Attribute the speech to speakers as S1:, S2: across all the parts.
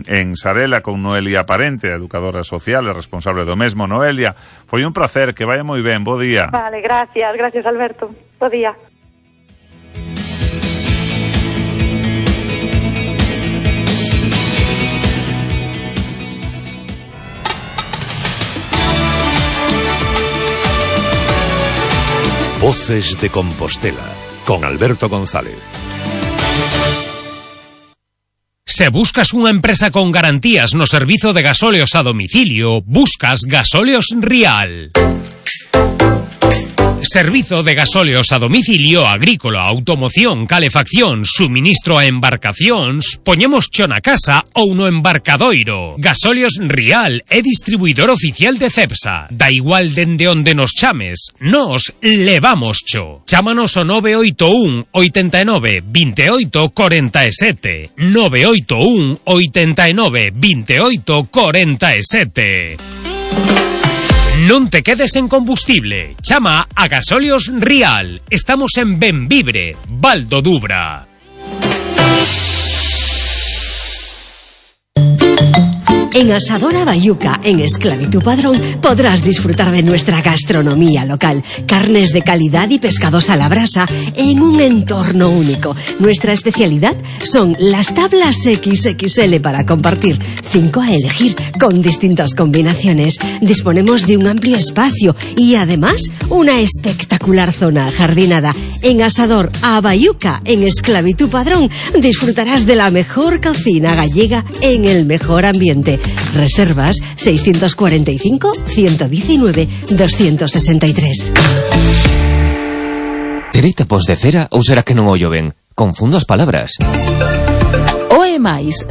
S1: en Sarela con Noelia Parente, educadora social e responsable do mesmo. Noelia, foi un placer, que vaya moi ben, bo día.
S2: Vale, gracias Alberto, bo día.
S3: Voces de Compostela, con Alberto González.
S4: Se buscas unha empresa con garantías no servizo de gasóleos a domicilio, buscas Gasóleos Rial. Servizo de gasóleos a domicilio agrícola, automoción, calefacción, suministro a embarcacións, poñemos cho na casa ou no embarcadoiro. Gasóleos Rial é distribuidor oficial de Cepsa. Da igual dende onde nos chames, nos levamos cho. Chámanos ao 981 89 28 47. 981 89 28 47. Non te quedes en combustible. Chama a Gasóleos Rial. Estamos en Benvibre, Val do Dubra.
S5: En Asadora Bayuca, en Esclavitud Padrón, podrás disfrutar de nuestra gastronomía local. Carnes de calidad y pescados a la brasa en un entorno único. Nuestra especialidad son las tablas XXL para compartir. 5 a elegir, con distintas combinaciones. Disponemos de un amplio espacio y además una espectacular zona ajardinada. En Asador a Bayuca, en Esclavitud Padrón, disfrutarás de la mejor cocina gallega en el mejor ambiente. Reservas 645 119 263.
S6: Terei tapos de cera ou será que non ollo ben? Confundo as palabras.
S7: OE+,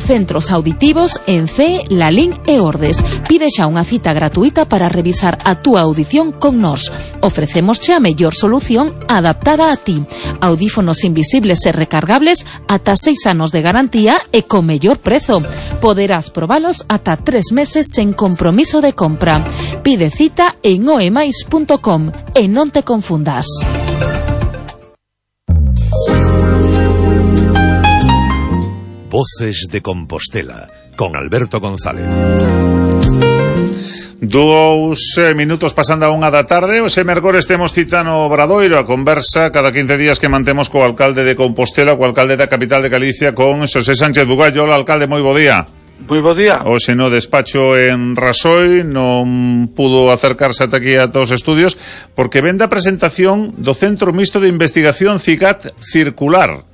S7: centros auditivos en CE, Lalín e Ordes. Pide xa unha cita gratuita para revisar a túa audición con nós. Ofrecemos xa a mellor solución adaptada a ti. Audífonos invisibles e recargables ata 6 anos de garantía e con mellor prezo. Poderás probalos ata 3 meses sen compromiso de compra. Pide cita en oemais.com e non te confundas.
S3: Voces de Compostela, con Alberto González.
S1: 2 minutos pasando a 1 da tarde. Ose mercores temos cita no Obradoiro, a conversa cada 15 días que mantemos co alcalde de Compostela, co alcalde da capital de Galicia, con Xosé Sánchez Bugallo. Hola, alcalde, moi bo día.
S8: Moi bo día.
S1: Hoxe no despacho en Rasoi, non pudo acercarse ata aquí a todos os estudios, porque vende a presentación do Centro Mixto de Investigación CICAT Circular.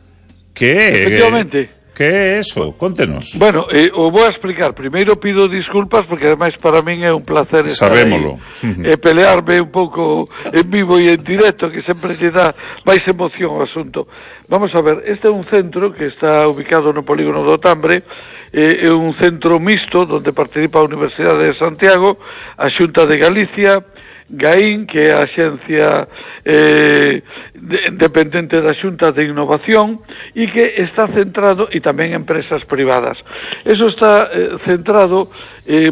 S1: Que é?
S8: Efectivamente.
S1: Que é eso? Contenos.
S8: Bueno, o vou a explicar. Primeiro pido disculpas porque ademais para min é un placer estar
S1: Sabémolo.
S8: E pelearme un pouco en vivo e en directo, que sempre lle dá máis emoción ao asunto. Vamos a ver, este é un centro que está ubicado no polígono do Tambre, é un centro mixto onde participa a Universidade de Santiago, a Xunta de Galicia, GAIN, que é a axencia dependente da Xunta de Innovación, e que está centrado, e tamén empresas privadas. Eso está centrado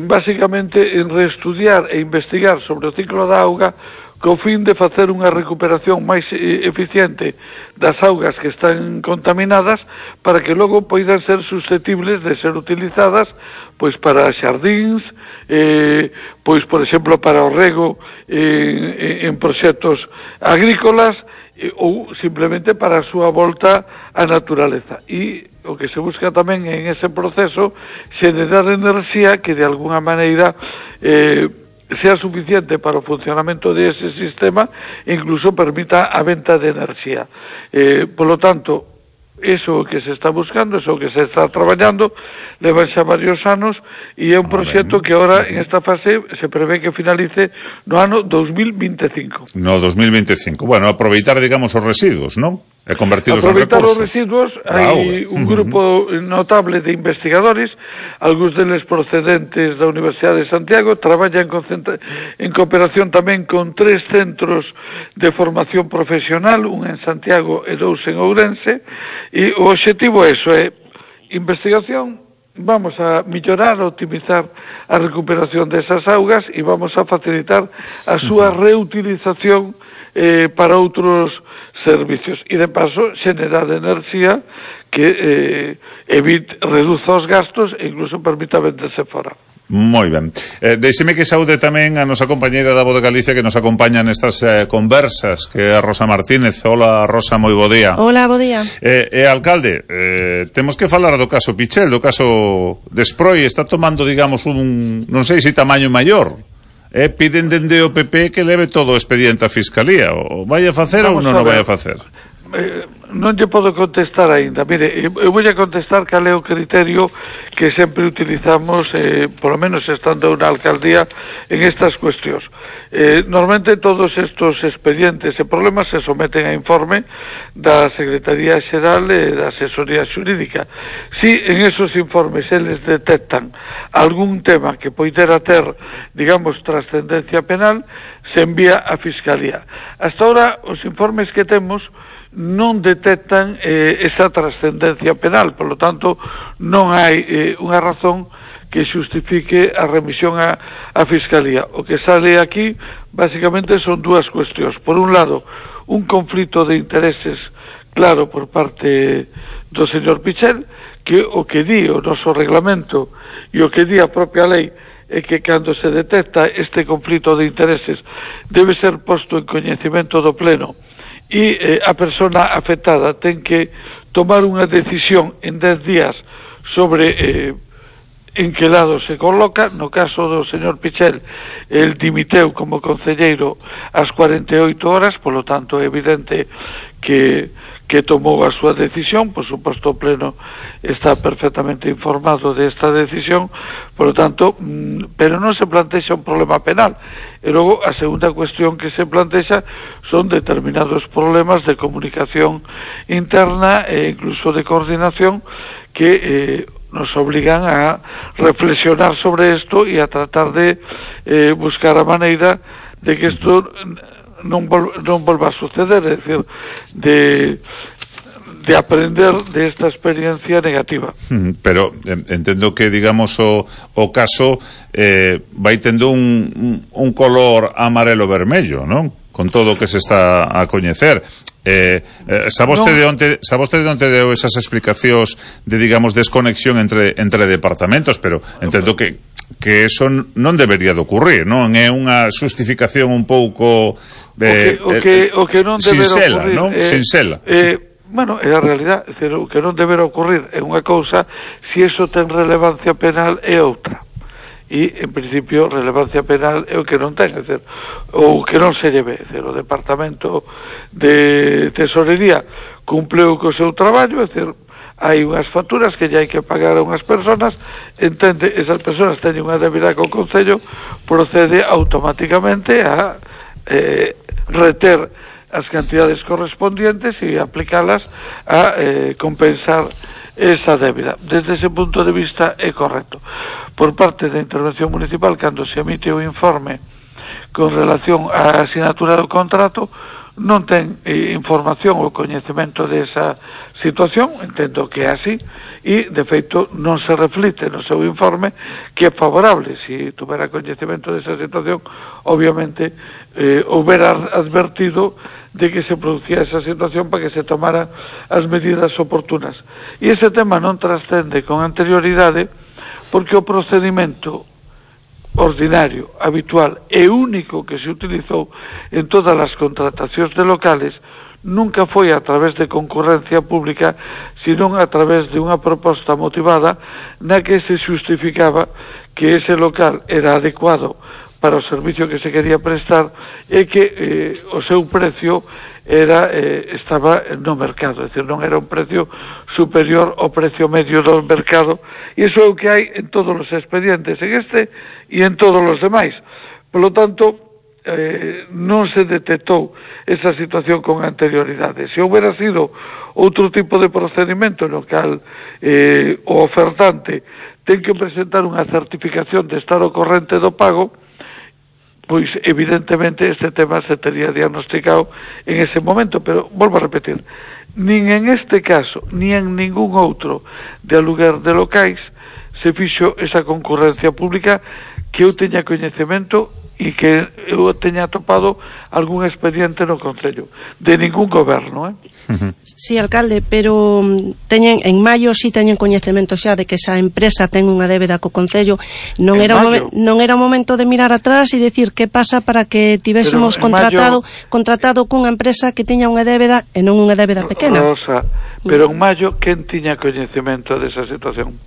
S8: básicamente en reestudiar e investigar sobre o ciclo da auga co fin de facer unha recuperación máis eficiente das augas que están contaminadas para que logo poidan ser susceptibles de ser utilizadas pois para xardíns, pois por exemplo para o rego en proxectos agrícolas ou simplemente para a súa volta á naturaleza. E o que se busca tamén en ese proceso xenerar enerxía que de alguna maneira sea suficiente para o funcionamento de ese sistema e incluso permita a venta de enerxía. Por lo tanto, eso que se está buscando, eso que se está traballando, leva xa varios anos e é un proxecto que ahora en esta fase se prevé que finalice no ano 2025.
S1: No 2025. Bueno, aproveitar, digamos, os residuos, non? E convertilos en recursos.
S8: Aproveitar os residuos, hai un grupo notable de investigadores, algúns deles procedentes da Universidade de Santiago, traballan en cooperación tamén con 3 centros de formación profesional, un en Santiago e 2 en Ourense, e o obxectivo é eso, é investigación, vamos a mellorar, optimizar a recuperación desas augas e vamos a facilitar a súa reutilización para outros servicios e de paso xenerar enerxía que reduza os gastos e incluso permita venderse fora.
S1: Moi ben. Deixeme que saúde tamén a nosa compañeira da Voz de Galicia que nos acompaña nestas conversas, que é a Rosa Martínez. Hola, Rosa, moi bo día.
S9: Hola, bo día.
S1: Alcalde, temos que falar do caso Pichel, do caso de Sproi. Está tomando, digamos, non sei se tamaño maior. Piden dende o PP que leve todo o expediente a Fiscalía. O vai a facer ou non o vai a facer?
S8: Non lle podo contestar aínda. Mire, eu vou a contestar cal é o criterio que sempre utilizamos, por lo menos estando na alcaldía, en estas cuestións. Normalmente todos estos expedientes e problemas se someten a informe da Secretaría Xeral e da Asesoría Xurídica. Si en esos informes eles detectan algún tema que poidera ter, digamos, trascendencia penal, se envía a Fiscalía. Hasta ahora, os informes que temos non detectan esa trascendencia penal, por lo tanto non hai unha razón que xustifique a remisión a Fiscalía. O que sale aquí básicamente son dúas cuestións. Por un lado, un conflito de intereses claro por parte do señor Pichel, que o que di o noso reglamento e o que di a propia lei é que cando se detecta este conflito de intereses debe ser posto en coñecemento do Pleno e a persona afectada ten que tomar unha decisión en 10 días sobre en que lado se coloca. No caso do señor Pichel, el dimiteu como concelleiro ás 48 horas, polo tanto é evidente que tomou a súa decisión. Por suposto, o Pleno está perfectamente informado desta decisión, por lo tanto, pero non se plantexa un problema penal. E logo, a segunda cuestión que se plantexa son determinados problemas de comunicación interna e incluso de coordinación que nos obligan a reflexionar sobre esto e a tratar de buscar a maneira de que isto non volva a suceder, é dicir, de aprender de esta experiencia negativa.
S1: Pero entendo que, digamos, o caso vai tendo un color amarelo-vermello, non? Con todo o que se está a coñecer. Sa vostede onte deu esas explicacións de, digamos, desconexión entre departamentos, pero entendo que eso non debería de ocurrir, non? É unha justificación un pouco
S8: o que non deberá ocurrir,
S1: non? Sincela.
S8: Bueno, é a realidade, é dicir, o que non deberá ocurrir é unha cousa, se iso ten relevancia penal é outra. E, en principio, relevancia penal é o que non ten, é dicir, ou que non se lleve, é dicir, o Departamento de Tesorería cumpleu co seu traballo, é dicir, hai unhas facturas que ya hai que pagar a unhas personas, entende, esas personas teñen unha débida co Concello, procede automáticamente a reter as cantidades correspondientes e aplicalas a compensar esa débida. Desde ese punto de vista é correcto. Por parte da intervención municipal, cando se emite o informe con relación á asinatura do contrato, non ten información ou coñecemento desa situación, entendo que é así, e, de feito, non se reflite no seu informe que é favorable. Se tuvera coñecemento desa situación, obviamente, houbera advertido de que se producía esa situación para que se tomara as medidas oportunas. E ese tema non trascende con anterioridade porque o procedimento ordinario, habitual e único que se utilizou en todas as contratacións de locales nunca foi a través de concurrencia pública, sino a través de unha proposta motivada na que se justificaba que ese local era adecuado para o servicio que se quería prestar e que o seu precio estaba no mercado, é dicir, non era un precio superior ao precio medio do mercado, e iso é o que hai en todos os expedientes, en este e en todos os demais. Por lo tanto, non se detectou esa situación con anterioridade. Se houbera sido outro tipo de procedimento no cal o ofertante ten que presentar unha certificación de estar ao corrente do pago, pois evidentemente este tema se tería diagnosticado en ese momento, pero volvo a repetir, nin en este caso, ni en ningún outro de aluguer de locais se fixo esa concurrencia pública que eu teña coñecemento e que eu teña atopado algún expediente no Concello de ningún goberno,
S9: Sí, alcalde, pero teñen en maio si teñen coñecemento xa de que esa empresa ten unha débeda co Concello. Non era o momento de mirar atrás e decir que pasa para que tivésemos contratado cunha empresa que tiña unha débeda e non unha débeda pequena.
S8: Rosa, pero en maio quen tiña coñecemento desa situación?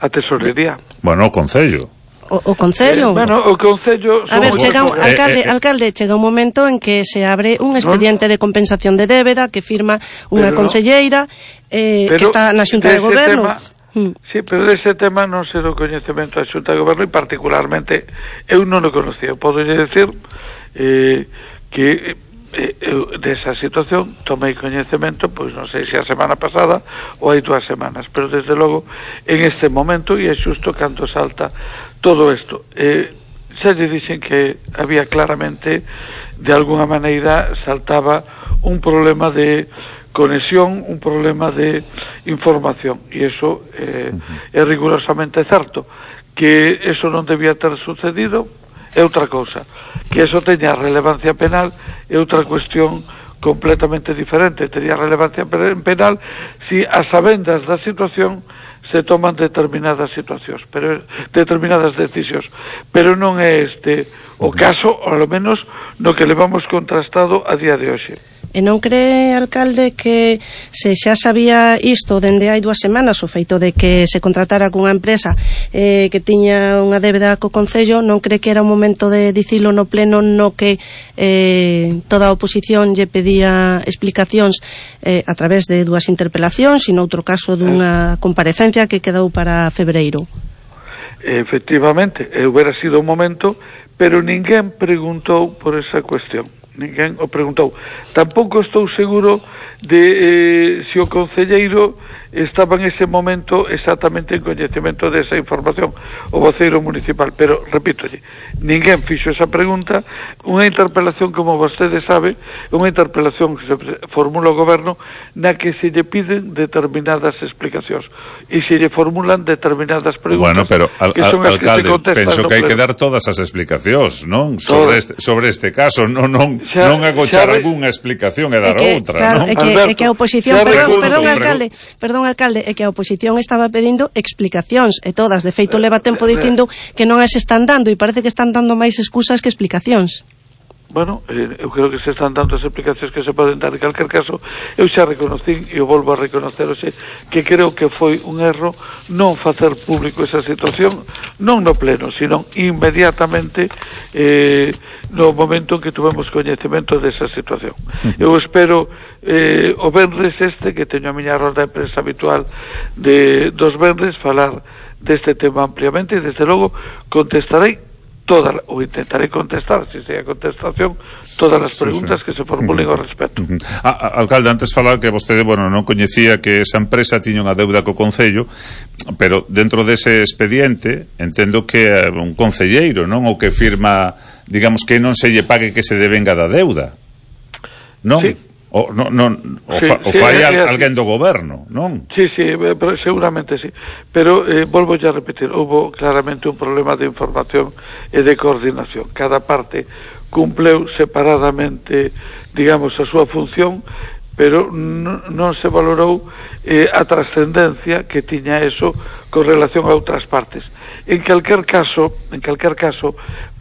S8: A Tesorería.
S1: Bueno, o Concello.
S9: O Concello.
S8: O Concello...
S9: A ver, alcalde, chega un momento en que se abre un expediente de compensación de débeda que firma unha concelleira que está na Xunta de Goberno.
S8: Sí, pero dese tema non sei do coñecemento da Xunta de Goberno e particularmente eu non o conocía. Podo decir que eu desa situación tomei coñecemento, pois non sei se a semana pasada ou hai 2 semanas, pero desde logo en este momento, e é xusto cando salta todo isto, xa lle dixen que había claramente, de alguna maneira saltaba un problema de conexión, un problema de información, e iso é rigurosamente certo. Que eso non debía ter sucedido é outra cousa, que eso teña relevancia penal é outra cuestión completamente diferente. Tería relevancia penal si a sabendas da situación se toman determinadas situacións, pero determinadas decisións, pero non é este o caso, ao menos no que levamos contrastado a día de hoxe.
S9: E non cree, alcalde, que se xa sabía isto dende hai 2 semanas, o feito de que se contratara cunha empresa que tiña unha débeda co Concello, non cree que era un momento de dicilo no pleno no que toda a oposición lle pedía explicacións a través de 2 interpelacións e noutro caso dunha comparecencia que quedou para febreiro?
S8: Efectivamente, hubiera sido un momento, pero ninguén preguntou por esa cuestión. Ninguén o preguntou. Tampouco estou seguro de se o concelleiro estaba en ese momento exactamente en coñecemento desa información, o voceiro municipal, pero repítolle, ninguén fixo esa pregunta. Unha interpelación, como vostede sabe, unha interpelación que se formula o goberno na que se lle piden determinadas explicacións e se lle formulan determinadas preguntas.
S1: Bueno, pero alcalde, penso que hai que dar todas as explicacións, non? Sobre este caso, non agochar algunha explicación e dar outra,
S9: claro, non? É que a oposición, perdón, alcalde, é que a oposición estaba pedindo explicacións e todas, de feito leva tempo dicindo que non as están dando e parece que están dando máis excusas que explicacións.
S8: Bueno, eu creo que se están dando as explicacións que se poden dar. En calquer caso, eu xa reconocín e eu volvo a reconocer hoxe que creo que foi un erro non facer público esa situación, non no pleno, sino inmediatamente no momento en que tuvemos coñecemento desa situación. Eu espero o venres que teño a miña ronda de prensa habitual dos venres falar deste tema ampliamente e desde logo contestarei ou intentarei contestar, se sea contestación, todas as preguntas que se formulen ao respecto.
S1: Alcalde, antes falaba que vostede, non coñecía que esa empresa tiña unha deuda co Concello, pero dentro dese expediente entendo que é un concelleiro, non? O que firma, digamos, que non se lle pague que se devenga da deuda, non? Sí. O fai alguén do goberno, non?
S8: Sí, seguramente sí. Pero volvo a repetir, houve claramente un problema de información e de coordinación. Cada parte cumpleu separadamente, digamos, a súa función, pero non se valorou a trascendencia que tiña eso con relación a outras partes. En calquer caso,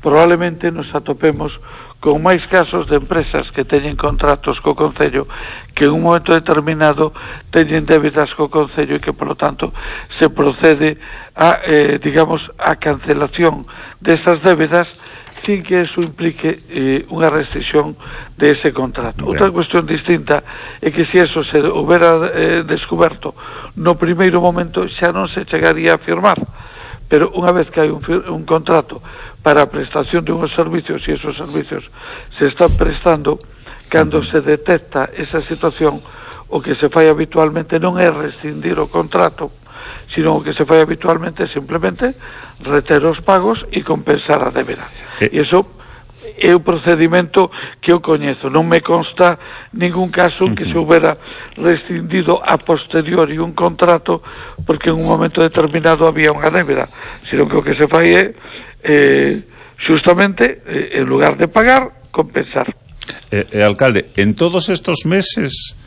S8: probablemente nos atopemos con máis casos de empresas que teñen contratos co Concello que en un momento determinado teñen débedas co Concello e que, polo tanto, se procede a, digamos, a cancelación desas débedas sin que eso implique unha restricción de ese contrato. Outra cuestión distinta é que se eso se houbera descoberto no primeiro momento xa non se chegaría a firmar, pero unha vez que hai un contrato para a prestación de unhos servicios e esos servicios se están prestando, cando se detecta esa situación, o que se fai habitualmente non é rescindir o contrato, sino o que se fai habitualmente é simplemente reter os pagos e compensar a débeda. E iso é o procedimento que eu coñezo. Non me consta ningún caso que se houbera rescindido a posteriori un contrato porque en un momento determinado había unha débeda, sino que o que se fai é justamente, en lugar de pagar, compensar.
S1: Alcalde, en todos estos meses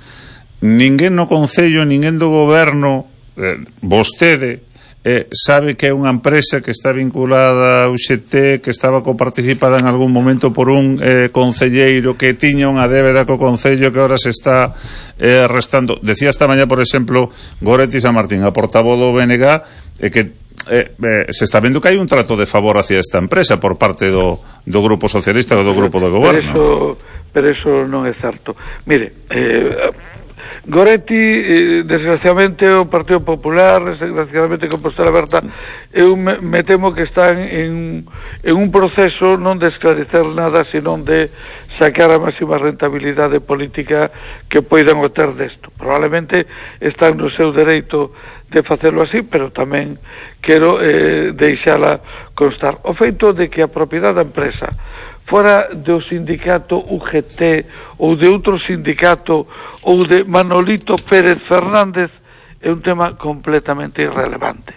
S1: ninguén no Concello, ninguén do Goberno, vostede, sabe que é unha empresa que está vinculada ao UGT, que estaba coparticipada en algún momento por un concelleiro que tiña unha débeda co Concello que ahora se está restando. Decía esta mañá, por exemplo, Goretti San Martín, a portavoz do BNG, que se está vendo que hai un trato de favor hacia esta empresa por parte do Grupo Socialista ou do Grupo do Goberno.
S8: Pero eso non é certo. Mire, Goretti, desgraciadamente, o Partido Popular, desgraciadamente Compostela Aberta, eu me temo que están en un proceso non de esclarecer nada, senón de sacar a máxima rentabilidade política que poidan obter desto. Probablemente están no seu dereito de facelo así, pero tamén quero deixala constar. O feito de que a propiedade da empresa fora do sindicato UGT ou de outro sindicato ou de Manolito Pérez Fernández é un tema completamente irrelevante,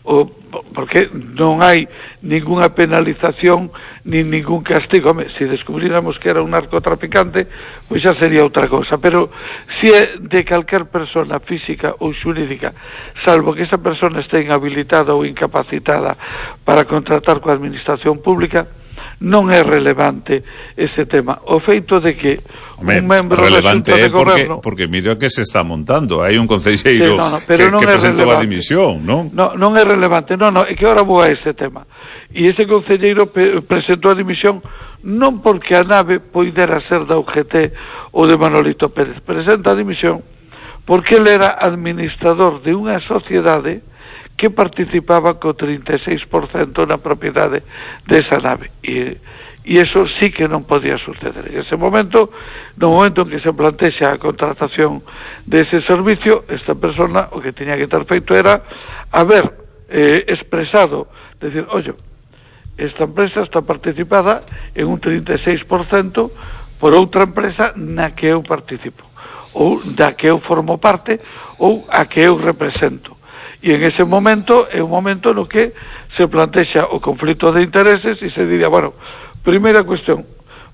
S8: porque non hai ninguna penalización ni ningún castigo. Home, se descubriramos que era un narcotraficante, pois xa sería outra cosa, pero se é de calquer persona física ou xurídica, salvo que esa persona este inhabilitada ou incapacitada para contratar coa administración pública, non é relevante ese tema. O feito de que un membro
S1: relevante
S8: da Xunta de Goberno,
S1: porque mira que se está montando, hai un concelleiro que presentou a dimisión, non?
S8: Non é relevante, é que ahora vou a ese tema. E ese concelleiro presentou a dimisión non porque a nave poidera ser da UGT ou de Manolito Pérez, presenta a dimisión porque ele era administrador de unha sociedade que participaba co 36% na propiedade desa nave, e eso sí que non podía suceder. En ese momento, no momento en que se plantexa a contratación dese servicio, esta persona o que tiña que ter feito era haber expresado, decir, oye, esta empresa está participada en un 36% por outra empresa na que eu participo, ou da que eu formo parte, ou a que eu represento. E en ese momento é un momento no que se plantexa o conflito de intereses e se diría, bueno, primeira cuestión,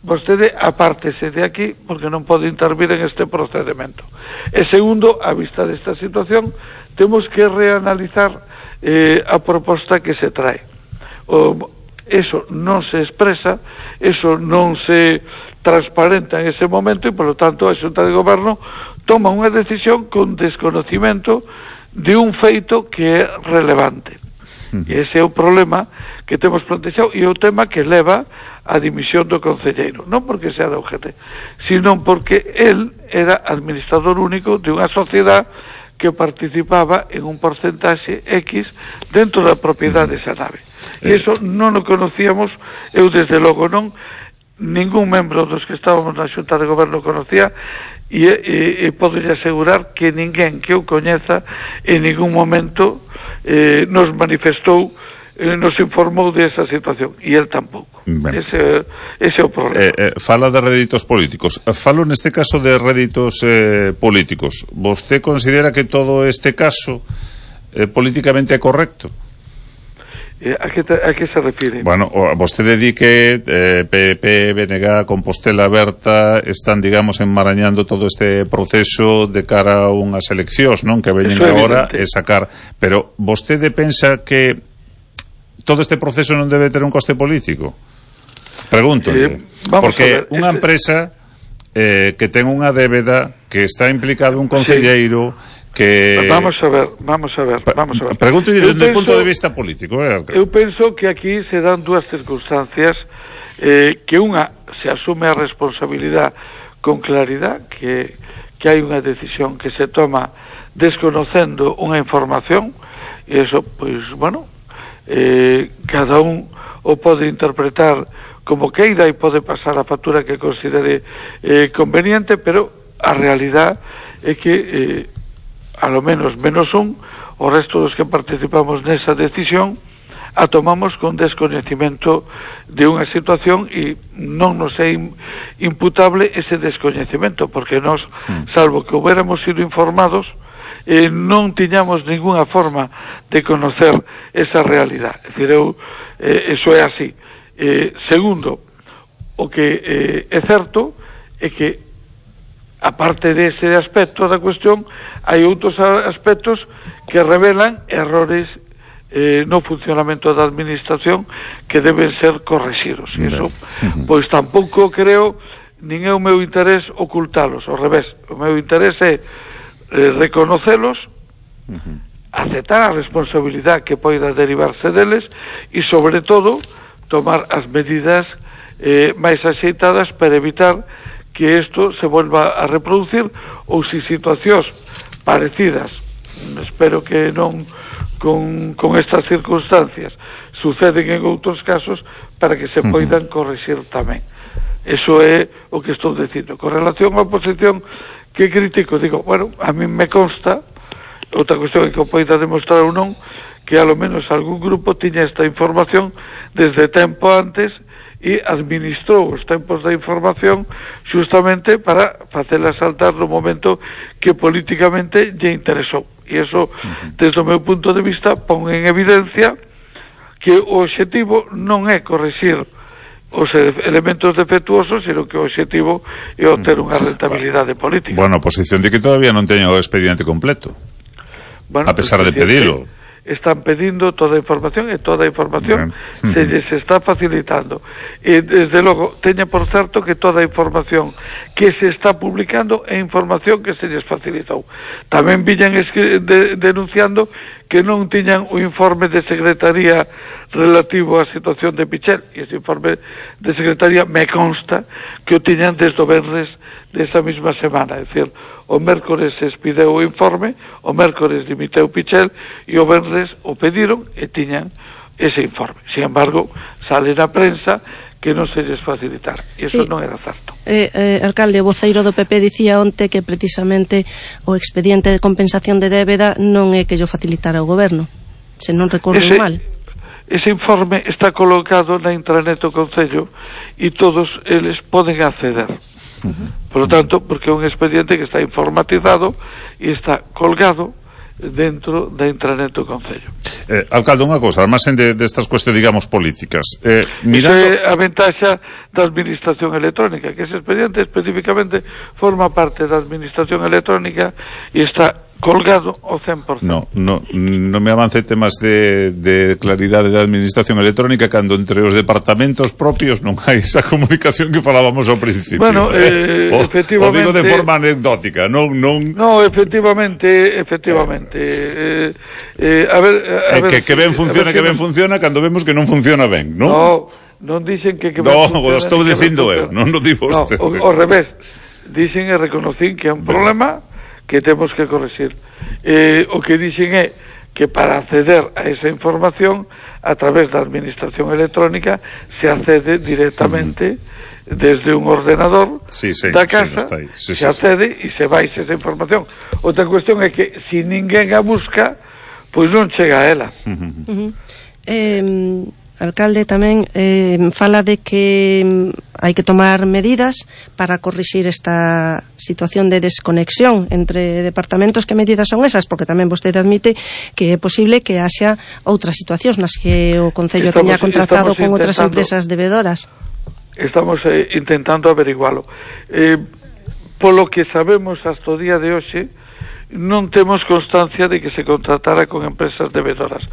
S8: vostede apártese de aquí porque non pode intervir en este procedimento. E segundo, a vista desta situación, temos que reanalizar a proposta que se trae. Eso non se expresa, eso non se transparenta en ese momento e, polo tanto, a Xunta de Goberno toma unha decisión con desconocimento de un feito que é relevante. E ese é o problema que temos plantexado e o tema que leva a dimisión do concelleiro, non porque sea da UGT, sino porque el era administrador único de unha sociedade que participaba en un porcentaxe X dentro da propiedade desa nave. E iso non o conocíamos, eu desde logo non, ningún membro dos que estábamos na Xunta de Goberno conocía, e podo asegurar que ninguén que eu coñeza en ningún momento nos manifestou, nos informou desa situación, e el tampouco. Ese é o problema.
S1: Fala de réditos políticos. Falo neste caso de réditos políticos. Vostede considera que todo este caso políticamente é correcto?
S8: A que se refire?
S1: Bueno, vostede di que PP, BNG, Compostela Aberta están, digamos, enmarañando todo este proceso de cara a unhas eleccións, non? Que veñen agora e sacar. Pero vostede pensa que todo este proceso non debe ter un coste político? Pregunto, porque unha empresa que ten unha débeda, que está implicado un concelleiro, que...
S8: Vamos a ver.
S1: Pregunto desde o punto de vista político.
S8: Eu penso que aquí se dan dúas circunstancias, que unha se asume a responsabilidade con claridade, que hai unha decisión que se toma desconocendo unha información, e eso, pois, bueno, cada un o pode interpretar como queira e pode pasar a factura que considere conveniente, pero a realidade é que a lo menos un, o resto dos que participamos nesa decisión, a tomamos con descoñecimento de unha situación e non nos é imputable ese descoñecimento, porque nos, salvo que hubiéramos sido informados, non tiñamos ninguna forma de conocer esa realidad. É dicir, eso é así. Segundo, o que é certo é que, aparte dese aspecto da cuestión, hai outros aspectos que revelan errores no funcionamento da administración que deben ser correxidos. E iso, pois tampouco creo, nin é o meu interés ocultalos, ao revés, o meu interés é reconocelos, aceptar a responsabilidade que poida derivarse deles e, sobre todo, tomar as medidas máis axeitadas para evitar que isto se volva a reproducir, ou si situacións parecidas, espero que non con estas circunstancias, suceden en outros casos, para que se poidan corrixir tamén. Eso é o que estou dicindo. Con relación á oposición que critico, digo, bueno, a mí me consta, outra cuestión é que o poida demostrar ou non, que a lo menos algún grupo tiña esta información desde tempo antes e administrou os tempos da información justamente para facela saltar no momento que políticamente lle interesou. E iso, desde o meu punto de vista, pon en evidencia que o obxectivo non é corrixir os elementos defectuosos, sino que o obxectivo é obter unha rentabilidade política.
S1: Bueno, a oposición de que todavía non teña o expediente completo, bueno, a pesar de pedilo.
S8: Están pedindo toda a información e toda a información se lles está facilitando. E, desde logo, teña por certo que toda a información que se está publicando é información que se lles facilitou. Tamén viñan denunciando que non tiñan o informe de secretaría relativo á situación de Pichel, e ese informe de secretaría me consta que o tiñan desde o venres desa mesma semana, é dicir, o mércores se expideu o informe, o mércores dimiteu Pichel e o venres o pediron e tiñan ese informe. Sin embargo, sale na prensa que non se lles facilitar. E iso non era certo.
S9: Alcalde, o voceiro do PP dicía onte que precisamente o expediente de compensación de débeda non é que yo facilitara o goberno, se non recordo mal.
S8: Ese informe está colocado na intranet do Concello e todos eles poden acceder. Por lo tanto, porque é un expediente que está informatizado e está colgado dentro da intranet do Concello.
S1: Alcalde, unha cosa, además destas cuestións, digamos, políticas.
S8: Mirando... Iso é a ventaxa da administración electrónica, que ese expediente especificamente forma parte da administración electrónica e está colgado ao 100%.
S1: No me avance temas de claridade da administración electrónica cando entre os departamentos propios non hai esa comunicación que falábamos ao principio.
S8: Bueno, efectivamente...
S1: O digo de forma anecdótica, non...
S8: No, efectivamente... a ver...
S1: Que ben funciona cando vemos que non funciona ben, non?
S8: Non dixen que ben
S1: funciona... No, estou dicindo eu, non o digo usted.
S8: Ao revés, dixen e reconocín que é un problema que temos que corregir. O que dixen é que para acceder a esa información a través da administración electrónica se accede directamente desde un ordenador da casa, se accede e se vai esa información. Outra cuestión é que se ninguén a busca, pois non chega a ela.
S9: Alcalde, tamén fala de que hai que tomar medidas para corrixir esta situación de desconexión entre departamentos. Que medidas son esas? Porque tamén vostede admite que é posible que haxa outras situacións nas que o Concello teña contratado con outras empresas debedoras.
S8: Estamos intentando averigualo. Polo que sabemos hasta o día de hoxe, non temos constancia de que se contratara con empresas debedoras.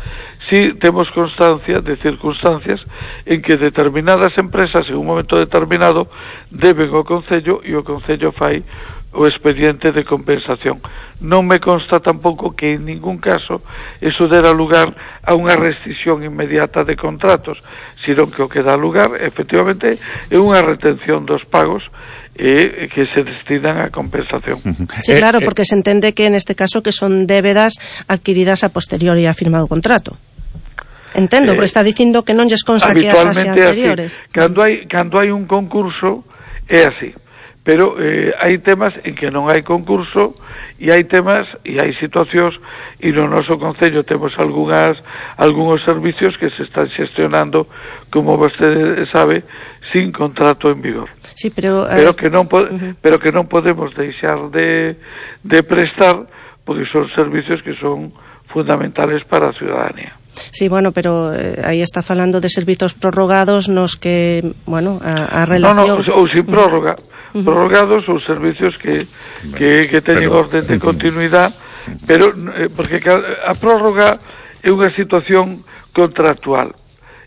S8: Sí temos constancia de circunstancias en que determinadas empresas en un momento determinado deben ao Concello e o Concello fai o expediente de compensación. Non me consta tampouco que en ningún caso eso dera lugar a unha restricción inmediata de contratos, sino que o que dá lugar efectivamente é unha retención dos pagos que se destinan a compensación.
S9: Sí, claro, porque se entende que en este caso que son débedas adquiridas a posteriori a firmado o contrato. Entendo, pero está dicindo que non lles consta que as anteriores.
S8: Cando hai un concurso é así, pero hai temas en que non hai concurso e hai temas e hai situacións e no noso concello temos algúns servicios que se están xestionando, como vostede sabe, sin contrato en vigor.
S9: Sí, pero
S8: que non podemos deixar de prestar, porque son servicios que son fundamentales para a ciudadanía.
S9: Sí, bueno, pero aí está falando de servizos prorrogados nos que, bueno, a relación...
S8: ou sin prórroga. Prorrogados ou servicios que teñen orden de continuidade, pero porque a prórroga é unha situación contractual.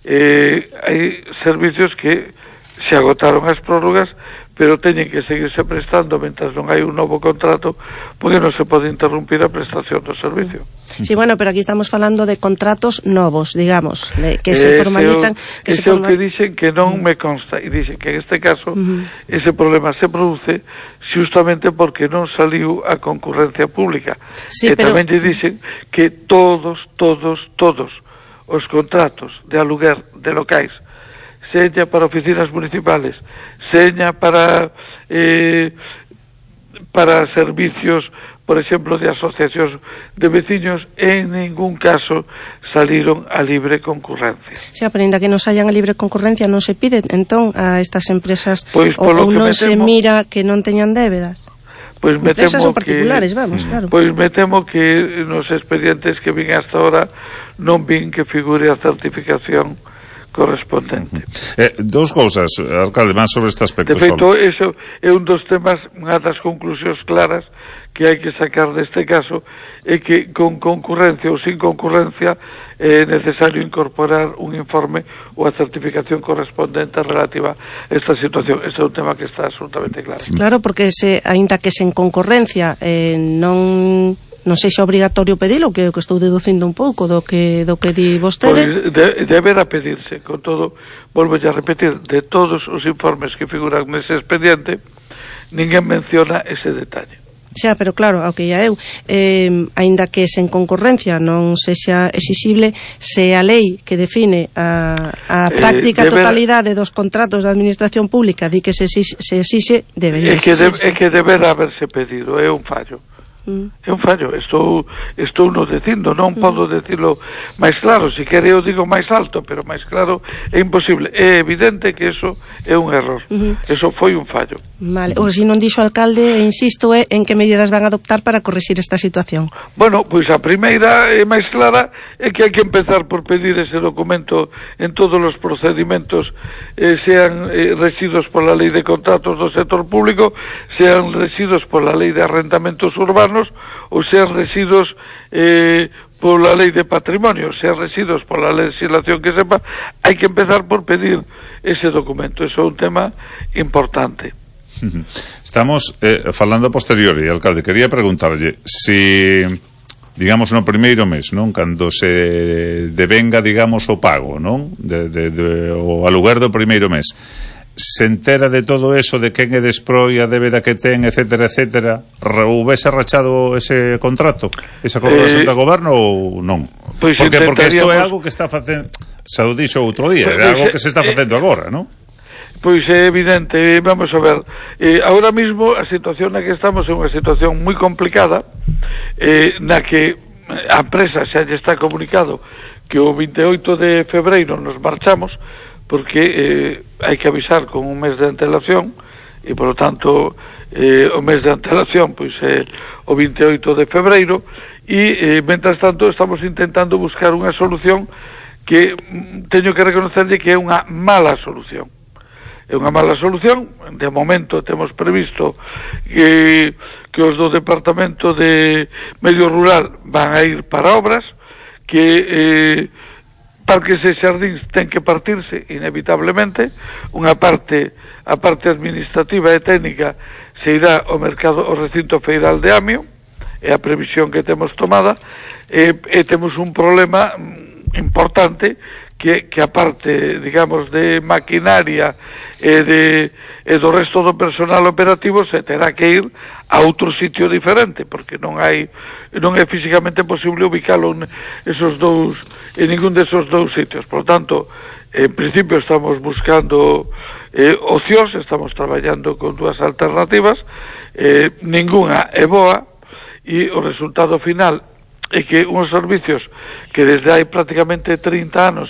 S8: Hai servicios que se agotaron as prórrogas, pero teñen que seguirse prestando mentras non hai un novo contrato, porque non se pode interrumpir a prestación do servicio.
S9: Sí, bueno, pero aquí estamos falando de contratos novos, digamos, que se formalizan...
S8: que dicen que non me consta, e dicen que en este caso ese problema se produce justamente porque non saliu a concurrencia pública.
S9: Sí,
S8: e tamén lle dicen que todos os contratos de aluguer de locais, seña para oficinas municipales, seña para servicios, por exemplo, de asociacións de veciños, en ningún caso saliron a libre concurrencia.
S9: Xa, pero ainda que non saían a libre concurrencia, non se pide entón a estas empresas,
S8: pois,
S9: ou non se mira que non teñan débedas?
S8: Pois me
S9: empresas
S8: temo
S9: ou particulares, vamos, claro.
S8: Pois me temo que nos expedientes que vin hasta ahora non vin que figure a certificación correspondente.
S1: Dos cousas, alcalde, máis sobre este aspecto.
S8: De feito, eso é un dos temas, unha das conclusións claras que hai que sacar deste caso, é que con concurrencia ou sin concurrencia é necesario incorporar un informe ou a certificación correspondente relativa a esta situación. Ese é un tema que está absolutamente claro.
S9: Claro, porque aínda que sen concurrencia non sexa obrigatorio pedilo, que é o que estou deducindo un pouco do que di vostede.
S8: Pois deberá pedirse, con todo, volvo a repetir, de todos os informes que figuran nese expediente, ninguén menciona ese detalle.
S9: Xa, pero claro, ao que ia eu, aínda que sen concurrencia non sexa exixible, se a lei que define a práctica totalidade dos contratos da administración pública di que se exixe, debería exixirse.
S8: É que deberá haberse pedido, é un fallo. É un fallo, estou no dicindo, non podo decirlo máis claro, se quere eu digo máis alto, pero máis claro é imposible, é evidente que eso é un error, eso foi un fallo.
S9: Vale, ou se non dixo o alcalde, insisto, en que medidas van a adoptar para corrixir esta situación?
S8: Bueno, pois a primeira e máis clara é que hai que empezar por pedir ese documento en todos os procedimentos, sean rexidos pola lei de contratos do sector público, sean rexidos pola lei de arrendamentos urbanos, ou sean residos pola lei de patrimonio, sean residos pola legislación que sepa, hai que empezar por pedir ese documento. Eso é un tema importante.
S1: Estamos falando a posteriori, alcalde, quería preguntarlle si, digamos, no primeiro mes, non, cando se devenga, digamos, o pago, non, o aluguer do primeiro mes, se entera de todo eso, de quen é desproi, a débeda que ten, etcétera, etcétera, houvese rachado ese contrato, esa colaboración do goberno ou non?
S8: Pois
S1: porque isto é algo que está facendo, xa o dixo outro día, é algo que se está facendo agora, non?
S8: Pois é evidente, vamos a ver, ahora mismo a situación na que estamos é unha situación moi complicada, na que a empresa xa lle está comunicado que o 28 de febreiro nos marchamos, porque hai que avisar con un mes de antelación e, por lo tanto, o mes de antelación pois é o 28 de febreiro e, mentras tanto, estamos intentando buscar unha solución que teño que reconocerlle que é unha mala solución. É unha mala solución, de momento temos previsto que os do Departamento de Medio Rural van a ir para obras, que parques e xardíns ten que partirse inevitablemente, unha parte, a parte administrativa e técnica se irá ao mercado, ao recinto feiral de Amio, é a previsión que temos tomada, e temos un problema importante que aparte, digamos, de maquinaria e do resto do personal operativo se terá que ir a outro sitio diferente, porque non é físicamente posible ubicalo en ningún desos dous sitios. Por lo tanto, en principio estamos buscando opcións, estamos traballando con dúas alternativas, ninguna é boa, e o resultado final é que uns servicios que desde hai prácticamente 30 anos